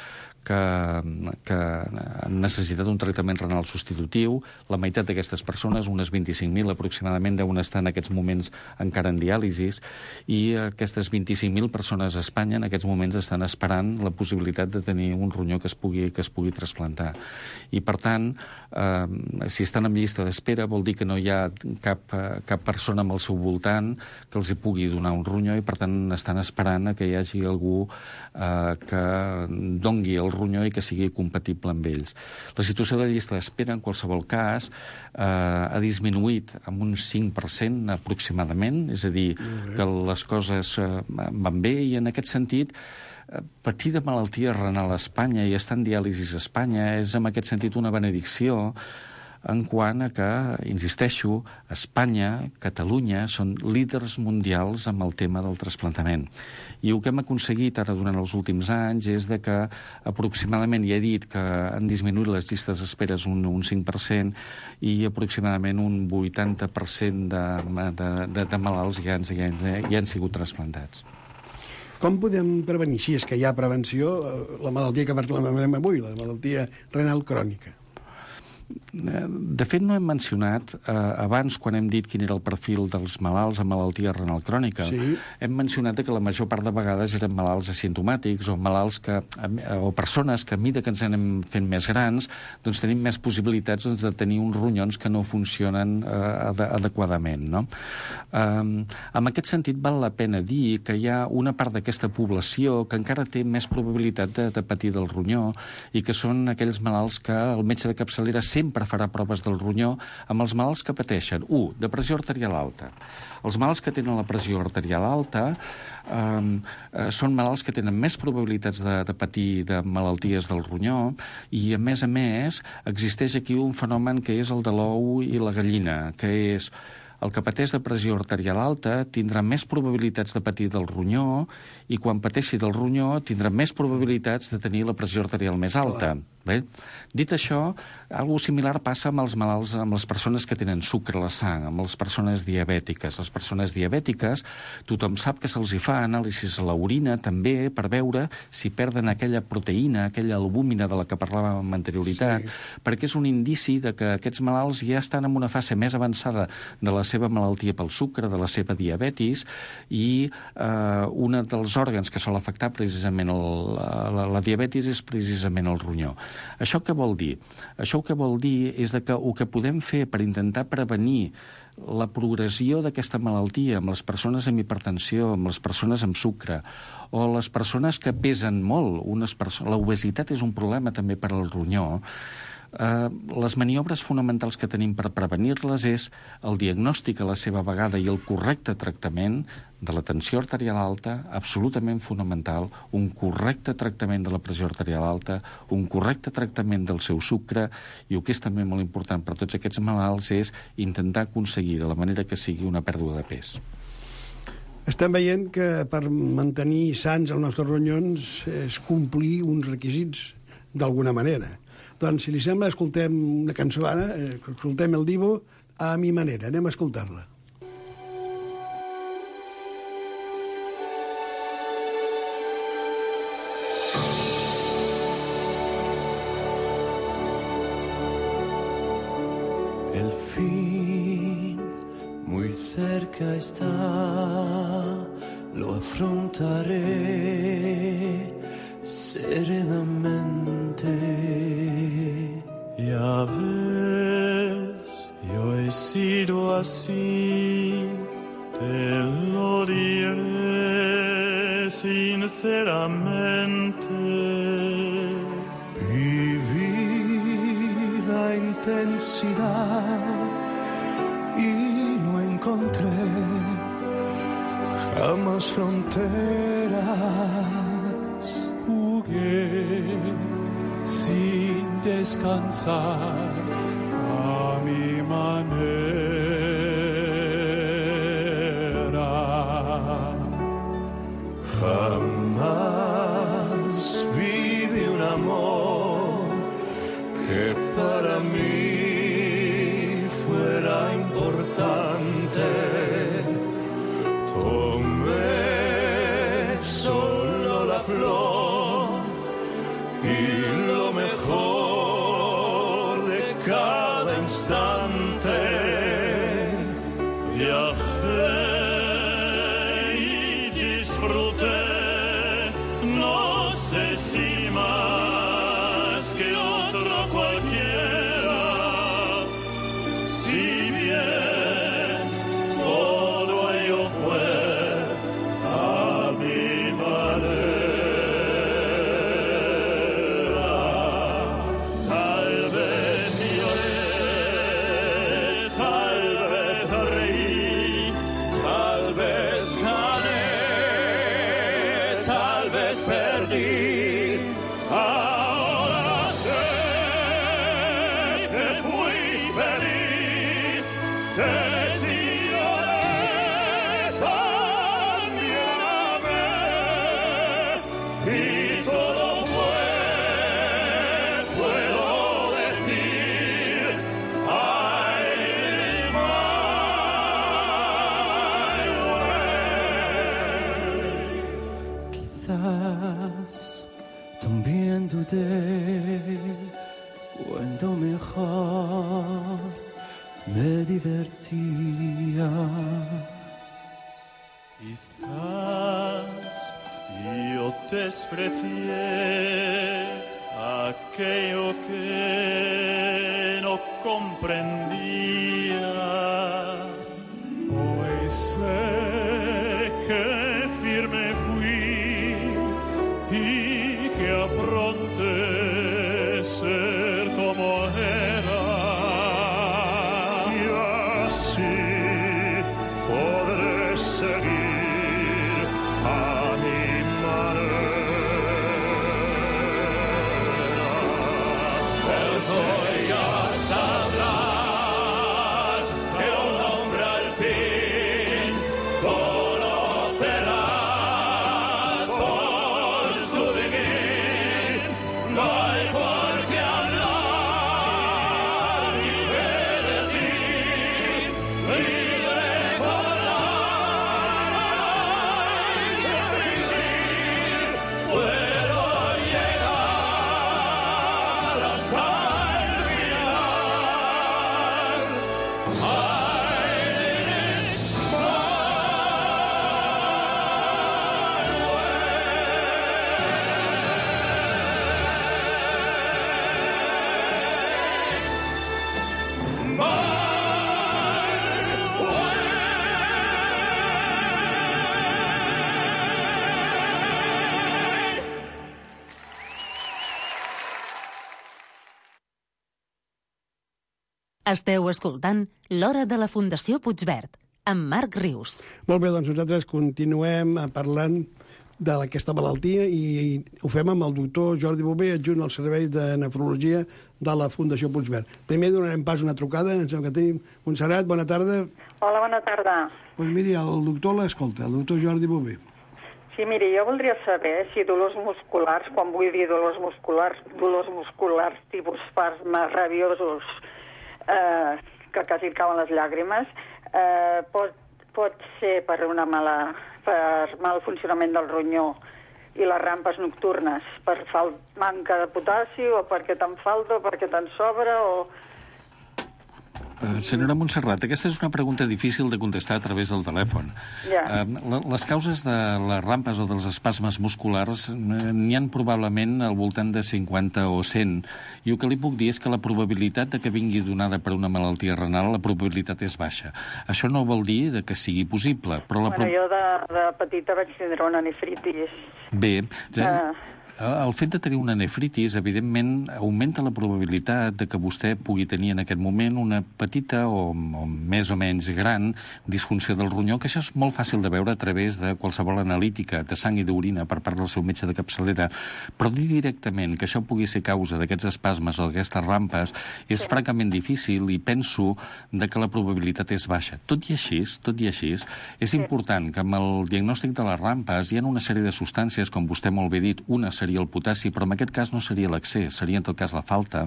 que han necessitat un tractament renal substitutiu. La meitat d'aquestes persones, unes 25.000 aproximadament, deuen estar en aquests moments encara en diàlisis, i aquestes 25.000 persones a Espanya en aquests moments estan esperant la possibilitat de tenir un ronyó que es pugui trasplantar. I, per tant, si estan en llista d'espera vol dir que no hi ha cap persona amb el seu voltant que els hi pugui donar un ronyó i, per tant, estan esperant que hi hagi algú que dongui el ronyó i que sigui compatible amb ells. La situació de llista d'espera, en qualsevol cas, ha disminuït amb un 5% aproximadament, és a dir, que les coses van bé, i en aquest sentit patir de malaltia renal a Espanya i estar en diàlisis a Espanya és en aquest sentit una benedicció, en quant a que, insisteixo, Espanya, Catalunya, són líders mundials amb el tema del trasplantament. I el que hem aconseguit ara durant els últims anys és de que aproximadament, ja he dit que han disminuït les llistes d'esperes un 5% i aproximadament un 80% de malalts ja han sigut trasplantats. Com podem prevenir, si és que hi ha prevenció, la malaltia que parlem avui, la malaltia renal crònica? De fet, no hem mencionat, abans, quan hem dit quin era el perfil dels malalts amb malaltia renal crònica, sí, hem mencionat que la major part de vegades eren malalts asimptomàtics o malalts o persones que, a mesura que ens anem fent més grans, doncs tenim més possibilitats de tenir uns ronyons que no funcionen adequadament, no? En aquest sentit, val la pena dir que hi ha una part d'aquesta població que encara té més probabilitat de patir del ronyó i que són aquells malalts que el metge de capçalera sempre farà proves del ronyó amb els malalts que pateixen, de pressió arterial alta. Els malalts que tenen la pressió arterial alta són malalts que tenen més probabilitats de patir de malalties del ronyó i, a més, existeix aquí un fenomen que és el de l'ou i la gallina, que és el que pateix de pressió arterial alta tindrà més probabilitats de patir del ronyó i quan pateixi del ronyó tindrà més probabilitats de tenir la pressió arterial més alta. Bé, dit això, alguna similar passa amb els malalts, amb les persones que tenen sucre a la sang, amb les persones diabètiques. Les persones diabètiques, tothom sap que se'ls hi fa anàlisis a l'orina també per veure si perden aquella proteïna, aquella albúmina de la que parlàvem amb anterioritat, perquè és un indici de que aquests malalts ja estan en una fase més avançada de la seva malaltia pel sucre, de la seva diabetis, i un dels òrgans que sol afectar precisament la diabetis és precisament el ronyó. Això què vol dir? Això el que vol dir és que el que podem fer per intentar prevenir la progressió d'aquesta malaltia amb les persones amb hipertensió, amb les persones amb sucre, o les persones que pesen molt, l'obesitat és un problema també per al ronyó. Les maniobres fonamentals que tenim per prevenir-les és el diagnòstic a la seva vegada i el correcte tractament de la tensió arterial alta, absolutament fonamental, un correcte tractament de la pressió arterial alta, un correcte tractament del seu sucre, i el que és també molt important per a tots aquests malalts és intentar aconseguir, de la manera que sigui, una pèrdua de pes. Estem veient que per mantenir sans els nostres ronyons és complir uns requisits d'alguna manera. Doncs, si li sembla, escoltem una cançó ara, escoltem el Divo a mi manera. Anem a escoltar-la. El fin muy cerca está, lo affrontaré serenamente. Ya ves, yo he sido así, te lo diré sinceramente. Viví la intensidad y no encontré jamás fronteras. Jugué sin descansar a mi manera. Jamás viví un amor que para mí fuera importante. Tomé solo la flor y lo mejor de cada instante. Viajé y disfruté, no sé si más que otro cualquiera, si bien todo ello fue a mi manera. Tal vez lloré, tal vez reí, tal vez gané, tal vez perdí. Ahora sé que fui feliz, que si lloré también amé, y todo fue, puedo decir, ay, my way. Quizás también dudé cuando mejor me divertía. Quizás yo desprecié aquello que no comprendía. Hoy sé que firme fui y que afronte ser como era, y así podré seguir a mi manera. Pero ya sabrás que un hombre al fin conocerás por su vivir. No hay por qué hablar ni qué decir, libre volar y fingir. Puedo llegar hasta el final. Esteu escoltant l'Hora de la Fundació Puigverd, amb Marc Rius. Molt bé, doncs nosaltres continuem parlant d'aquesta malaltia i ho fem amb el doctor Jordi Bové, adjunt al Servei de Nefrologia de la Fundació Puigverd. Primer donarem pas una trucada, ens sembla que tenim Montserrat, bona tarda. Hola, bona tarda. Doncs miri, el doctor l'escolta, el doctor Jordi Bové. Sí, miri, jo voldria saber si dolors musculars, quan vull dir dolors musculars tipus espasmes rabiosos, que quasi et cauen les llàgrimes, pot ser per mal funcionament del ronyó i les rampes nocturnes, per manca de potassi o perquè te'n falta o perquè te'n sobra o... Senyora Montserrat, aquesta és una pregunta difícil de contestar a través del telèfon. Les causes de les rampes o dels espasmes musculars n'hi han probablement al voltant de 50 o 100, i el que li puc dir és que la probabilitat de que vingui donada per una malaltia renal, la probabilitat és baixa. Això no vol dir que sigui possible, però... Jo de petita vaig tindre una nefritis. Bé, el fet de tenir una nefritis, evidentment, augmenta la probabilitat de que vostè pugui tenir en aquest moment una petita o més o menys gran disfunció del ronyó, que això és molt fàcil de veure a través de qualsevol analítica de sang i d'orina per part del seu metge de capçalera, però dir directament que això pugui ser causa d'aquests espasmes o d'aquestes rampes és francament difícil, i penso que la probabilitat és baixa. Tot i així, és important que amb el diagnòstic de les rampes hi ha una sèrie de substàncies, com vostè molt bé ha dit, una seria el potassi, però en aquest cas no seria l'excés, seria en tot cas la falta.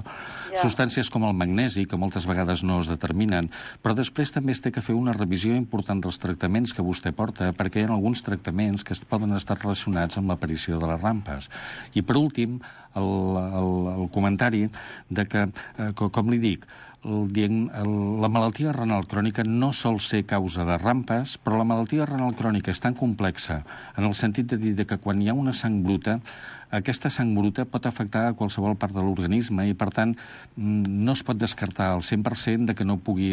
Substàncies com el magnesi, que moltes vegades no es determinen, però després també es té que fer una revisió important dels tractaments que vostè porta, perquè hi ha alguns tractaments que poden estar relacionats amb l'aparició de les rampes. I per últim, el comentari de que, com li dic, la malaltia renal crònica no sol ser causa de rampes, però la malaltia renal crònica és tan complexa en el sentit de dir que quan hi ha una sang bruta, aquesta sang bruta pot afectar a qualsevol part de l'organisme, i per tant no es pot descartar al 100% que no pugui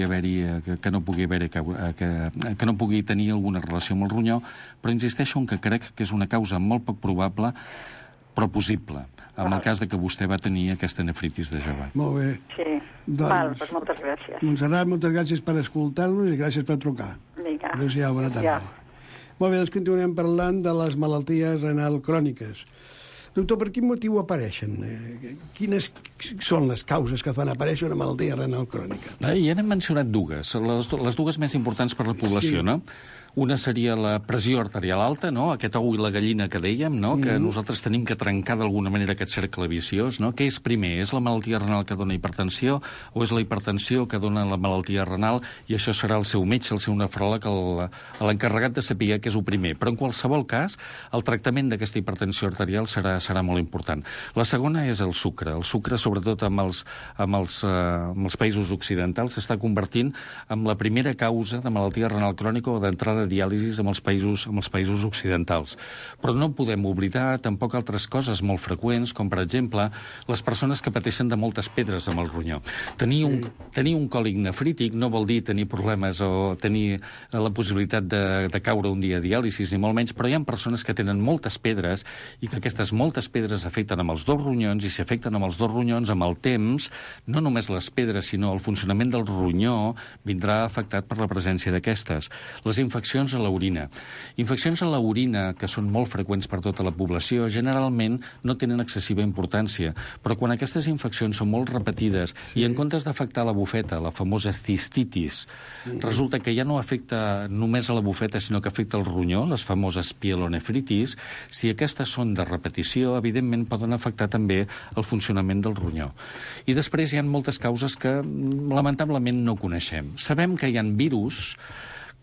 tenir alguna relació amb el ronyó, però insisteixo en que crec que és una causa molt poc probable però possible, en el cas de que vostè va tenir aquesta nefritis de jove. Molt bé. Sí. Doncs moltes gràcies. Montserrat, moltes gràcies per escoltar-nos i gràcies per trucar. Vinga. Adéu-siau, bona tarda. Molt bé, doncs continuem parlant de les malalties renal cròniques. Doctor, per quin motiu apareixen? Quines són les causes que fan aparèixer una malaltia renal crònica? Ja n'hem mencionat dues, les dues més importants per la població, no? Una seria la pressió arterial alta, no? Aquest ou i la gallina que dèiem, no? Que nosaltres tenim que trencar d'alguna manera aquest cercle viciós, no? Què és primer? És la malaltia renal que dona hipertensió o és la hipertensió que dona la malaltia renal? I això serà el seu metge, el seu nefròleg, l'encarregat de saber què és el primer. Però en qualsevol cas, el tractament d'aquesta hipertensió arterial serà molt important. La segona és el sucre. El sucre, sobretot amb els països occidentals, s'està convertint en la primera causa de malaltia renal crònica o d'entrada diàlisis amb els països occidentals. Però no podem oblidar tampoc altres coses molt freqüents, com per exemple les persones que pateixen de moltes pedres amb el ronyó. Tenir un còlic nefrític no vol dir tenir problemes o tenir la possibilitat de caure un dia a diàlisis, ni molt menys, però hi ha persones que tenen moltes pedres i que aquestes moltes pedres afecten amb els dos ronyons, i si afecten amb els dos ronyons amb el temps, no només les pedres, sinó el funcionament del ronyó vindrà afectat per la presència d'aquestes. Les infeccions a l'orina. Infeccions a l'orina, que són molt freqüents per tota la població, generalment no tenen excessiva importància, però quan aquestes infeccions són molt repetides i en comptes d'afectar la bufeta, la famosa cistitis, resulta que ja no afecta només a la bufeta, sinó que afecta el ronyó, les famoses pielonefritis, si aquestes són de repetició, evidentment poden afectar també el funcionament del ronyó. I després hi ha moltes causes que lamentablement no coneixem. Sabem que hi ha virus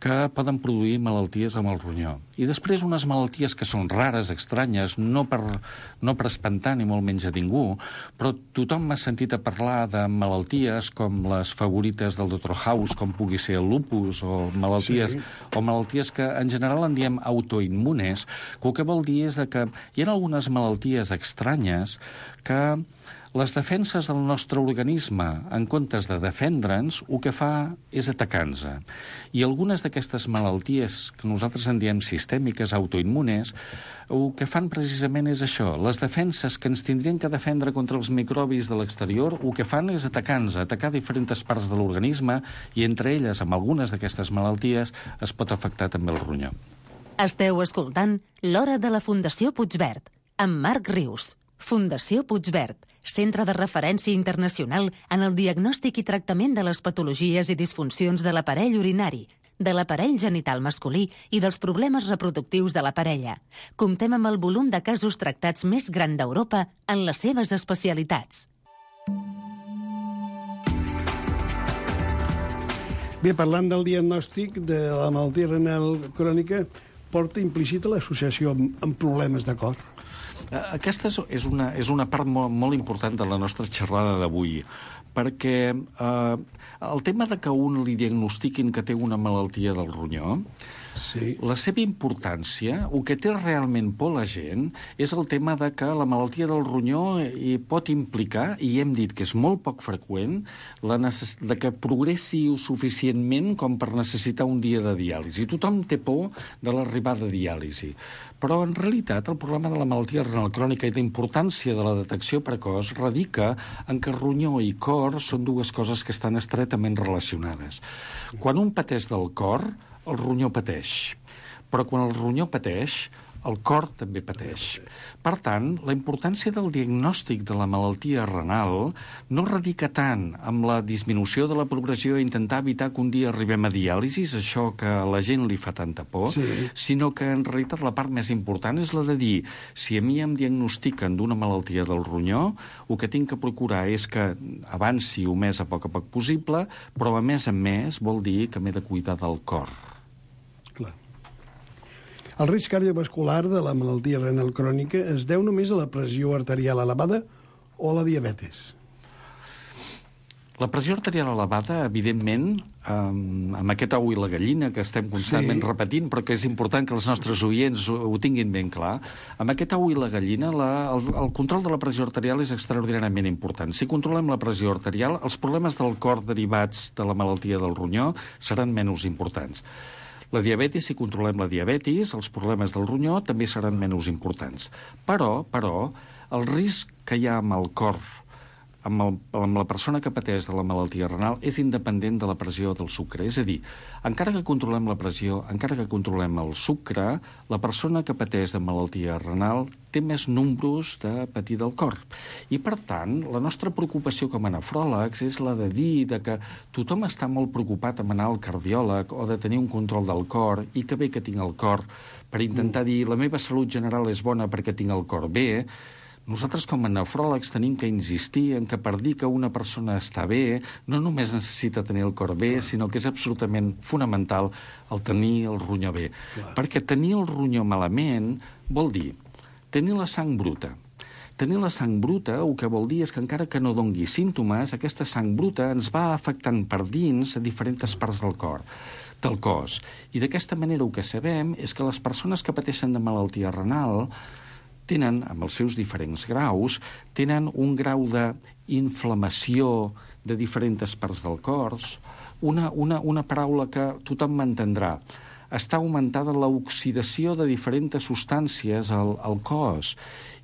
que poden produir malalties amb el ronyó. I després unes malalties que són rares, estranyes, no per espantar ni molt menys a ningú, però tothom m'ha sentit a parlar de malalties com les favorites del Dr. House, com pugui ser el lupus, o malalties que en general en diem autoimmunes, que el que vol dir és que hi ha algunes malalties estranyes que les defenses del nostre organisme, en comptes de defendre'ns, el que fa és atacar-nos. I algunes d'aquestes malalties, que nosaltres en diem sistèmiques, autoimmunes, el que fan precisament és això. Les defenses que ens tindrien que defendre contra els microbis de l'exterior, el que fan és atacar-nos, atacar diferents parts de l'organisme, i entre elles, amb algunes d'aquestes malalties, es pot afectar també el ronyó. Esteu escoltant L'Hora de la Fundació Puigverd, amb Marc Rius. Fundació Puigverd, centre de referència internacional en el diagnòstic i tractament de les patologies i disfuncions de l'aparell urinari, de l'aparell genital masculí i dels problemes reproductius de la parella. Comptem amb el volum de casos tractats més gran d'Europa en les seves especialitats. Bé, parlant del diagnòstic de la malaltia renal crònica, porta implícita l'associació amb problemes de cor. Aquesta és una part molt important de la nostra xerrada d'avui, perquè el tema de que un li diagnostiquin que té una malaltia del ronyó, la seva importància, el que té realment por la gent, és el tema de que la malaltia del ronyó pot implicar, i hem dit que és molt poc freqüent, de que progressi suficientment com per necessitar un dia de diàlisi. Tothom té por de l'arribada de diàlisi. Però, en realitat, el problema de la malaltia renal crònica i la importància de la detecció precoç radica en que ronyó i cor són dues coses que estan estretament relacionades. Quan un pateix del cor, el ronyó pateix. Però quan el ronyó pateix, el cor també pateix. Per tant, la importància del diagnòstic de la malaltia renal no radica tant amb la disminució de la progressió i intentar evitar que un dia arribem a diàlisis, això que a la gent li fa tanta por, sinó que en realitat la part més important és la de dir, si a mi em diagnostiquen d'una malaltia del ronyó, el que tinc que procurar és que avanci el més a poc possible, però a més vol dir que m'he de cuidar del cor. Clar. El risc cardiovascular de la malaltia renal crònica es deu només a la pressió arterial elevada o a la diabetes? La pressió arterial elevada, evidentment, amb aquest ou i la gallina que estem constantment repetint, però que és important que els nostres oients ho tinguin ben clar, amb aquest ou i la gallina el control de la pressió arterial és extraordinàriament important. Si controlem la pressió arterial, els problemes del cor derivats de la malaltia del ronyó seran menys importants. La diabetis, si controlem la diabetis, els problemes del ronyó també seran menys importants. Però, el risc que hi ha amb el cor, amb la persona que pateix de la malaltia renal, és independent de la pressió del sucre. És a dir, encara que controlem la pressió, encara que controlem el sucre, la persona que pateix de malaltia renal té més números de patir del cor. I, per tant, la nostra preocupació com a nefròlegs és la de dir que tothom està molt preocupat en anar al cardiòleg o de tenir un control del cor, i que bé que tinc el cor, per intentar dir la meva salut general és bona perquè tinc el cor bé. Nosaltres, com a nefròlegs, tenim que insistir en que per dir que una persona està bé, no només necessita tenir el cor bé, sinó que és absolutament fonamental el tenir el ronyó bé. Perquè tenir el ronyó malament vol dir tenir la sang bruta. Tenir la sang bruta, el que vol dir és que encara que no dongui símptomes, aquesta sang bruta ens va afectant per dins a diferents parts del cos. I d'aquesta manera el que sabem és que les persones que pateixen de malaltia renal tenen, amb els seus diferents graus, tenen un grau d'inflamació de diferents parts del cos, una paraula que tothom m'entendrà. Està augmentada l'oxidació de diferents substàncies al cos.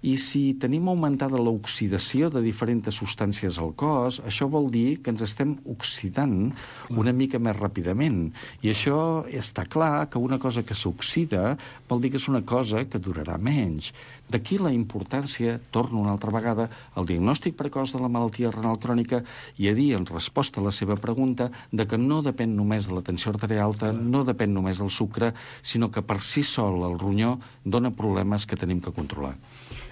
I si tenim augmentada l'oxidació de diferents substàncies al cos, això vol dir que ens estem oxidant una mica més ràpidament. I això està clar que una cosa que s'oxida vol dir que és una cosa que durarà menys. D'aquí la importància, torno una altra vegada, al diagnòstic precoç de la malaltia renal crònica i a dir, en resposta a la seva pregunta, de que no depèn només de la tensió arterial alta, no depèn només del sucre, sinó que per si sol el ronyó dona problemes que tenim que controlar.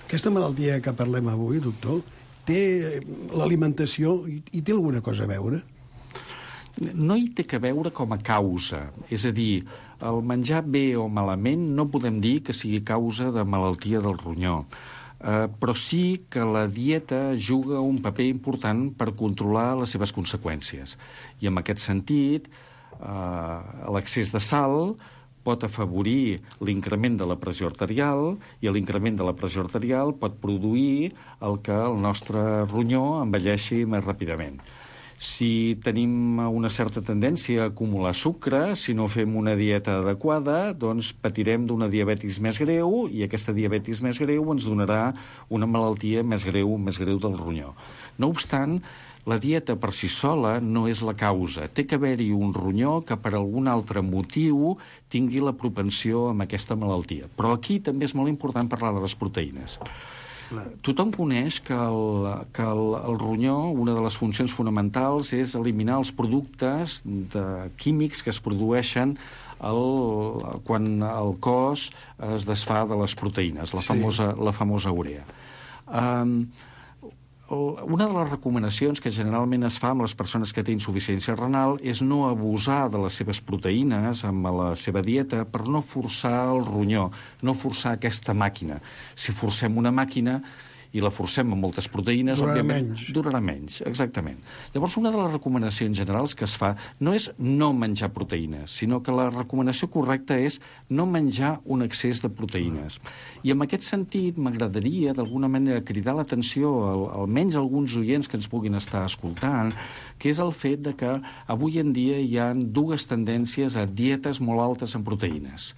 Aquesta malaltia que parlem avui, doctor, té l'alimentació i té alguna cosa a veure? No hi té que veure com a causa. És a dir, el menjar bé o malament no podem dir que sigui causa de malaltia del ronyó. Però sí que la dieta juga un paper important per controlar les seves conseqüències. I en aquest sentit, l'excés de sal pot afavorir l'increment de la pressió arterial i l'increment de la pressió arterial pot produir el que el nostre ronyó envelleixi més ràpidament. Si tenim una certa tendència a acumular sucre, si no fem una dieta adequada, doncs patirem d'una diabetis més greu i aquesta diabetis més greu ens donarà una malaltia més greu del ronyó. No obstant, la dieta per si sola no és la causa. Té que haver-hi un ronyó que per algun altre motiu tingui la propensió amb aquesta malaltia. Però aquí també és molt important parlar de les proteïnes. Tothom coneix que el ronyó, una de les funcions fonamentals és eliminar els productes químics que es produeixen quan el cos es desfà de les proteïnes, la famosa urea. Una de les recomanacions que generalment es fa amb les persones que tenen insuficiència renal és no abusar de les seves proteïnes amb la seva dieta per no forçar el ronyó, no forçar aquesta màquina. Si forcem una màquina i la forcem amb moltes proteïnes, durarà menys, exactament. Llavors, una de les recomanacions generals que es fa no és no menjar proteïnes, sinó que la recomanació correcta és no menjar un excés de proteïnes. I en aquest sentit m'agradaria, d'alguna manera, cridar l'atenció almenys a alguns oients que ens puguin estar escoltant, que és el fet de que avui en dia hi ha dues tendències a dietes molt altes en proteïnes.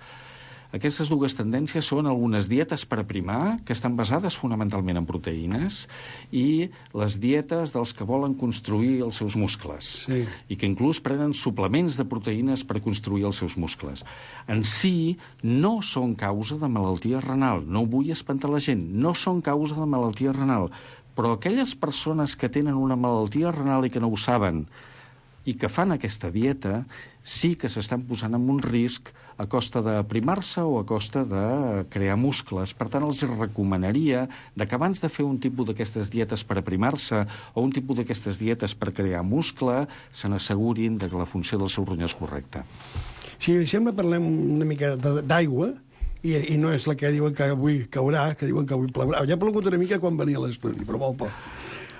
Aquestes dues tendències són algunes dietes per aprimar, que estan basades fonamentalment en proteïnes, i les dietes dels que volen construir els seus muscles, i que inclús prenen suplements de proteïnes per construir els seus muscles. En si, no són causa de malaltia renal, no vull espantar la gent, no són causa de malaltia renal, però aquelles persones que tenen una malaltia renal i que no ho saben, i que fan aquesta dieta, sí que s'estan posant en un risc a costa d'aprimar-se o a costa de crear muscles. Per tant, els recomanaria que abans de fer un tipus d'aquestes dietes per aprimar-se o un tipus d'aquestes dietes per crear muscle, se n'assegurin que la funció del seu ronyó és correcta. Si li sembla, parlem una mica d'aigua, i no és la que diuen que avui caurà, que diuen que avui plourà. Ja ha plogut una mica quan venia a l'estudi, però molt poc.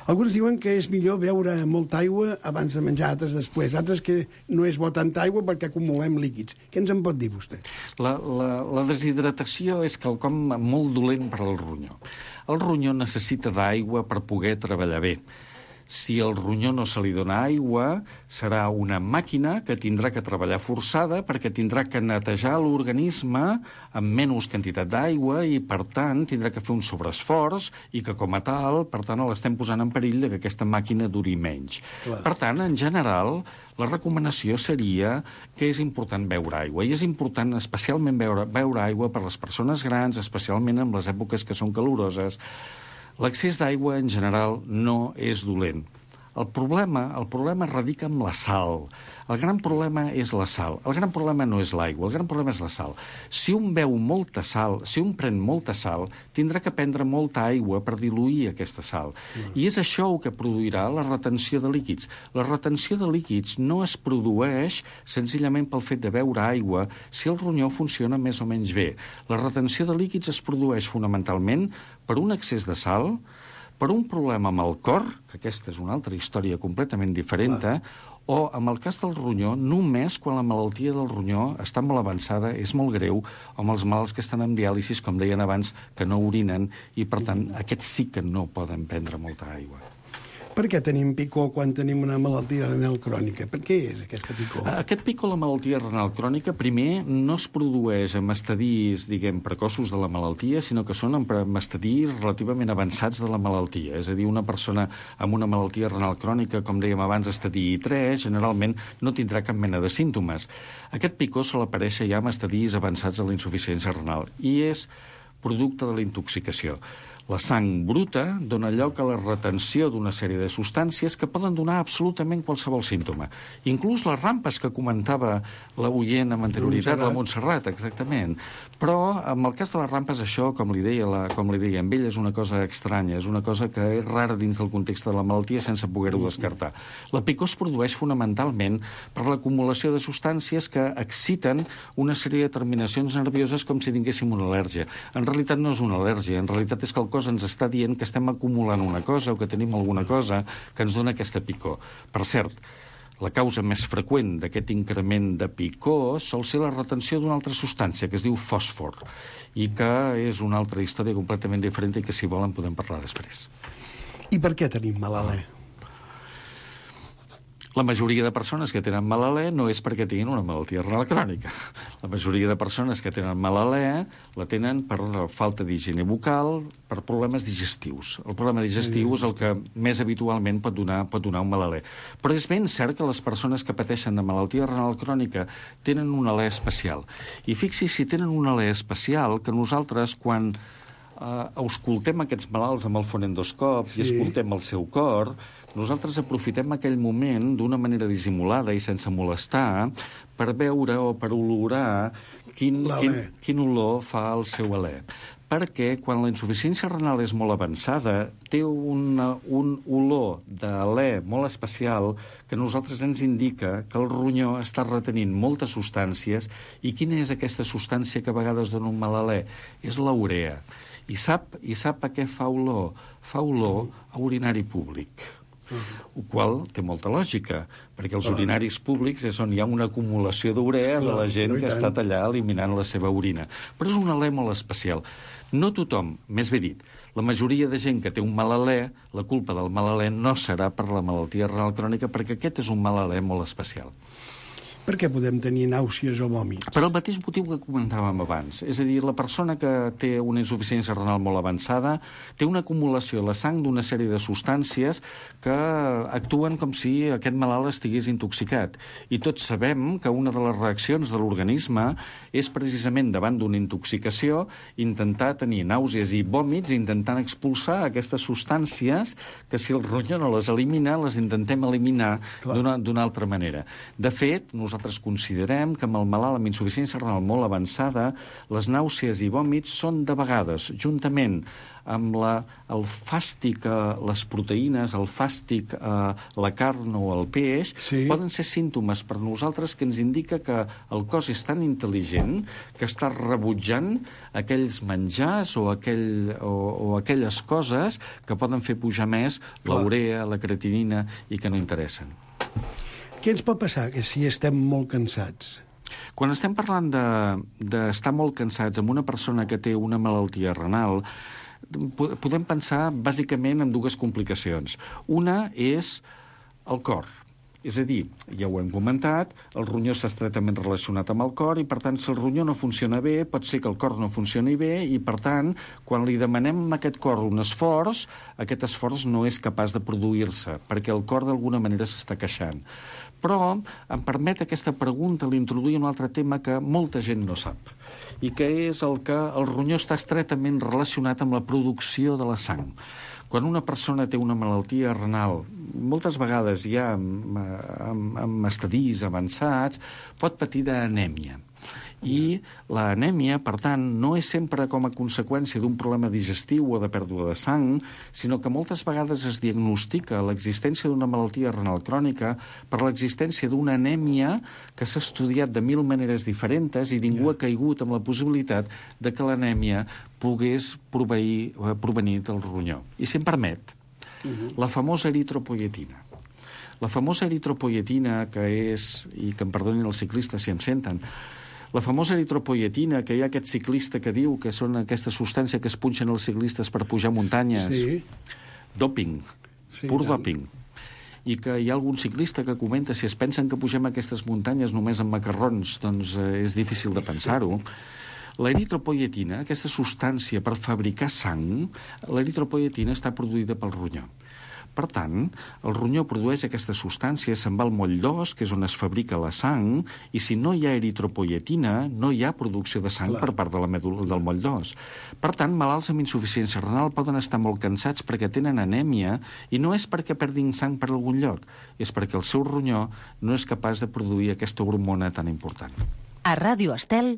Alguns diuen que és millor beure molta aigua abans de menjar, altres després. Altres que no és bo tanta aigua perquè acumulem líquids. Què ens en pot dir vostè? La deshidratació és quelcom molt dolent per al ronyó. El ronyó necessita d'aigua per poder treballar bé. Si al ronyó no se li dona aigua, serà una màquina que tindrà que treballar forçada perquè tindrà que netejar l'organisme amb menys quantitat d'aigua i, per tant, tindrà que fer un sobreesforç i que, com a tal, per tant, l'estem posant en perill que aquesta màquina duri menys. Clar. Per tant, en general, la recomanació seria que és important beure aigua. I és important especialment beure aigua per les persones grans, especialment en les èpoques que són caloroses. L'accés d'aigua, en general, no és dolent. El problema radica en la sal. El gran problema és la sal. El gran problema no és l'aigua, el gran problema és la sal. Si un beu molta sal, si un pren molta sal, tindrà que prendre molta aigua per diluir aquesta sal. I és això el que produirà la retenció de líquids. La retenció de líquids no es produeix senzillament pel fet de beure aigua si el ronyó funciona més o menys bé. La retenció de líquids es produeix fonamentalment per un excés de sal, per un problema amb el cor, que aquesta és una altra història completament diferent, o, en el cas del ronyó, només quan la malaltia del ronyó està molt avançada, és molt greu, o amb els malalts que estan en diàlisis, com deien abans, que no orinen, i, per tant, aquests sí que no poden prendre molta aigua. Per què tenim picor quan tenim una malaltia renal crònica? Per què és aquesta picor? Aquest picor, la malaltia renal crònica, primer, no es produeix amb estadis, diguem, precoços de la malaltia, sinó que són amb estadis relativament avançats de la malaltia. És a dir, una persona amb una malaltia renal crònica, com dèiem abans, estadi 3, generalment no tindrà cap mena de símptomes. Aquest picor sol aparèixer ja amb estadis avançats de la insuficiència renal i és producte de la intoxicació. La sang bruta dona lloc a la retenció d'una sèrie de substàncies que poden donar absolutament qualsevol símptoma. Inclús les rampes que comentava l'oient amb anterioritat, la Montserrat, exactament. Però, en el cas de les rampes, això, com li deia amb ell, és una cosa estranya, és una cosa que és rara dins del context de la malaltia sense poder-ho descartar. La picor es produeix fonamentalment per l'acumulació de substàncies que exciten una sèrie de terminacions nervioses com si tinguéssim una al·lèrgia. En realitat no és una al·lèrgia, en realitat és que el cos ens està dient que estem acumulant una cosa o que tenim alguna cosa que ens dona aquesta picor. Per cert, la causa més freqüent d'aquest increment de picor sol ser la retenció d'una altra substància que es diu fòsfor i que és una altra història completament diferent i que, si volen, podem parlar després. I per què tenim mal alè? La majoria de persones que tenen mal alè no és perquè tinguin una malaltia renal crònica. La majoria de persones que tenen mal alè la tenen per falta d'higiene bucal, per problemes digestius. El problema digestiu és el que més habitualment pot donar un mal alè. Però és ben cert que les persones que pateixen de malaltia renal crònica tenen un alè especial. I fixi si tenen un alè especial que nosaltres, quan auscultem aquests malalts amb el fonendoscop i escoltem el seu cor, nosaltres aprofitem aquell moment d'una manera dissimulada i sense molestar per veure o per olorar quin olor fa el seu alè. Perquè quan la insuficiència renal és molt avançada, té un olor d'alè molt especial que a nosaltres ens indica que el ronyó està retenint moltes substàncies. I quina és aquesta substància que a vegades dona un mal alè? És la urea. I sap a què fa olor? Fa olor a urinari públic. El qual té molta lògica, perquè els urinaris públics és on hi ha una acumulació d'urea de la gent que ha estat allà eliminant la seva orina. Però és un alè molt especial. No tothom, més bé dit, la majoria de gent que té un mal alè, la culpa del mal alè no serà per la malaltia renal crònica, perquè aquest és un mal alè molt especial. Per què podem tenir nàusees o vòmits? Per el mateix motiu que comentàvem abans. És a dir, la persona que té una insuficiència renal molt avançada té una acumulació a la sang d'una sèrie de substàncies que actuen com si aquest malalt estigués intoxicat. I tots sabem que una de les reaccions de l'organisme és precisament davant d'una intoxicació intentar tenir nàusees i vòmits, intentant expulsar aquestes substàncies que si el ronyó no les elimina, les intentem eliminar d'una altra manera. De fet, nosaltres considerem que amb el malalt amb insuficiència renal molt avançada, les nàusees i vòmits són de vegades, juntament amb el fàstic, les proteïnes, el fàstic, la carn o el peix, poden ser símptomes per nosaltres que ens indica que el cos és tan intel·ligent que està rebutjant aquells menjars o aquelles coses que poden fer pujar més la urea, la creatinina i que no interessen. Què ens pot passar si estem molt cansats? Quan estem parlant d'estar molt cansats amb una persona que té una malaltia renal, podem pensar bàsicament en dues complicacions. Una és el cor. És a dir, ja ho hem comentat, el ronyó està estretament relacionat amb el cor i, per tant, si el ronyó no funciona bé, pot ser que el cor no funcioni bé i, per tant, quan li demanem a aquest cor un esforç, aquest esforç no és capaç de produir-se, perquè el cor d'alguna manera s'està queixant. Però em permet aquesta pregunta l'introduir un altre tema que molta gent no sap, i que és el que el ronyó està estretament relacionat amb la producció de la sang. Quan una persona té una malaltia renal, moltes vegades ja amb estadis avançats, pot patir d'anèmia. I l'anèmia, per tant, no és sempre com a conseqüència d'un problema digestiu o de pèrdua de sang, sinó que moltes vegades es diagnostica l'existència d'una malaltia renal crònica per l'existència d'una anèmia que s'ha estudiat de 1000 maneres diferents i ningú ha caigut amb la possibilitat de que l'anèmia pogués provenir del ronyó. I si em permet, la famosa eritropoietina. La famosa eritropoietina, que és, i que em perdonin els ciclistes si em senten, la famosa eritropoietina, que hi ha aquest ciclista que diu que són aquesta substància que es punxen els ciclistes per pujar muntanyes. Sí. Doping, pur doping. I que hi ha algun ciclista que comenta si es pensen que pugem aquestes muntanyes només amb macarrons, doncs és difícil de pensar-ho. L'eritropoietina, aquesta substància per fabricar sang, l'eritropoietina està produïda pel ronyó. Per tant, el ronyó produeix aquesta substància, se'n va al moll d'os, que és on es fabrica la sang, i si no hi ha eritropoietina, no hi ha producció de sang per part de la medul·la del moll d'os. Per tant, malalts amb insuficiència renal poden estar molt cansats perquè tenen anèmia, i no és perquè perdin sang per algun lloc, és perquè el seu ronyó no és capaç de produir aquesta hormona tan important. A Ràdio Estel,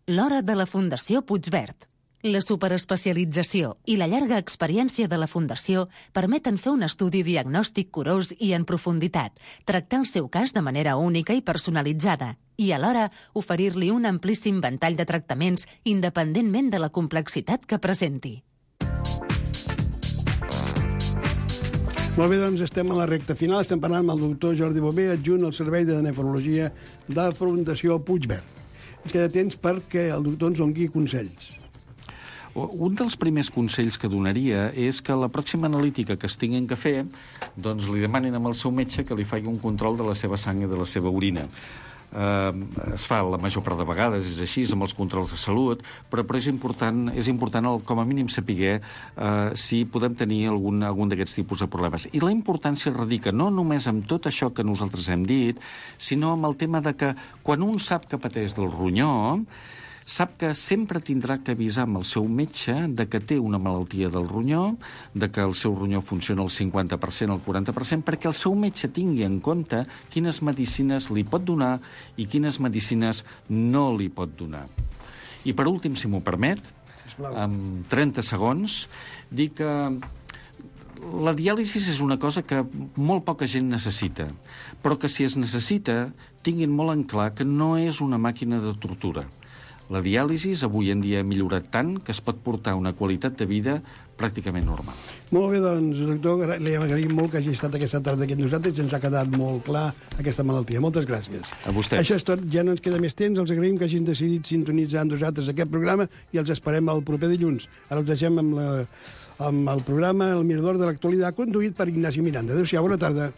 l'hora de la Fundació Puigverd. La superespecialització i la llarga experiència de la Fundació permeten fer un estudi diagnòstic curós i en profunditat, tractar el seu cas de manera única i personalitzada i, alhora, oferir-li un amplíssim ventall de tractaments independentment de la complexitat que presenti. Molt bé, doncs estem a la recta final. Estem parlant amb el doctor Jordi Bové, adjunt al Servei de Nefrologia de la Fundació Puigverd. Ens queda temps perquè el doctor ens doni consells. Un dels primers consells que donaria és que la pròxima analítica que es tinguin que fer, doncs li demanin al seu metge que li faci un control de la seva sang i de la seva orina. Es fa la major part de vegades, és així, amb els controls de salut, però és important com a mínim saber si podem tenir algun d'aquests tipus de problemes. I la importància radica no només amb tot això que nosaltres hem dit, sinó amb el tema de que quan un sap que pateix del ronyó, sap que sempre tindrà que avisar amb el seu metge de que té una malaltia del ronyó, de que el seu ronyó funciona al 50%, al 40%, perquè el seu metge tingui en compte quines medicines li pot donar i quines medicines no li pot donar. I per últim, si m'ho permet, amb 30 segons, dir que la diàlisi és una cosa que molt poca gent necessita, però que si es necessita, tinguin molt en clar que no és una màquina de tortura. La diàlisi avui en dia ha millorat tant que es pot portar una qualitat de vida pràcticament normal. Molt bé, doncs, doctor, li agraïm molt que hagi estat aquesta tarda aquí amb nosaltres i ens ha quedat molt clar aquesta malaltia. Moltes gràcies. A vostè. Això és tot, ja no ens queda més temps. Els agraïm que hagin decidit sintonitzar amb nosaltres aquest programa i els esperem el proper dilluns. Ara us deixem amb el programa El Mirador de l'Actualitat, conduït per Ignasi Miranda. Adéu-siau, bona tarda.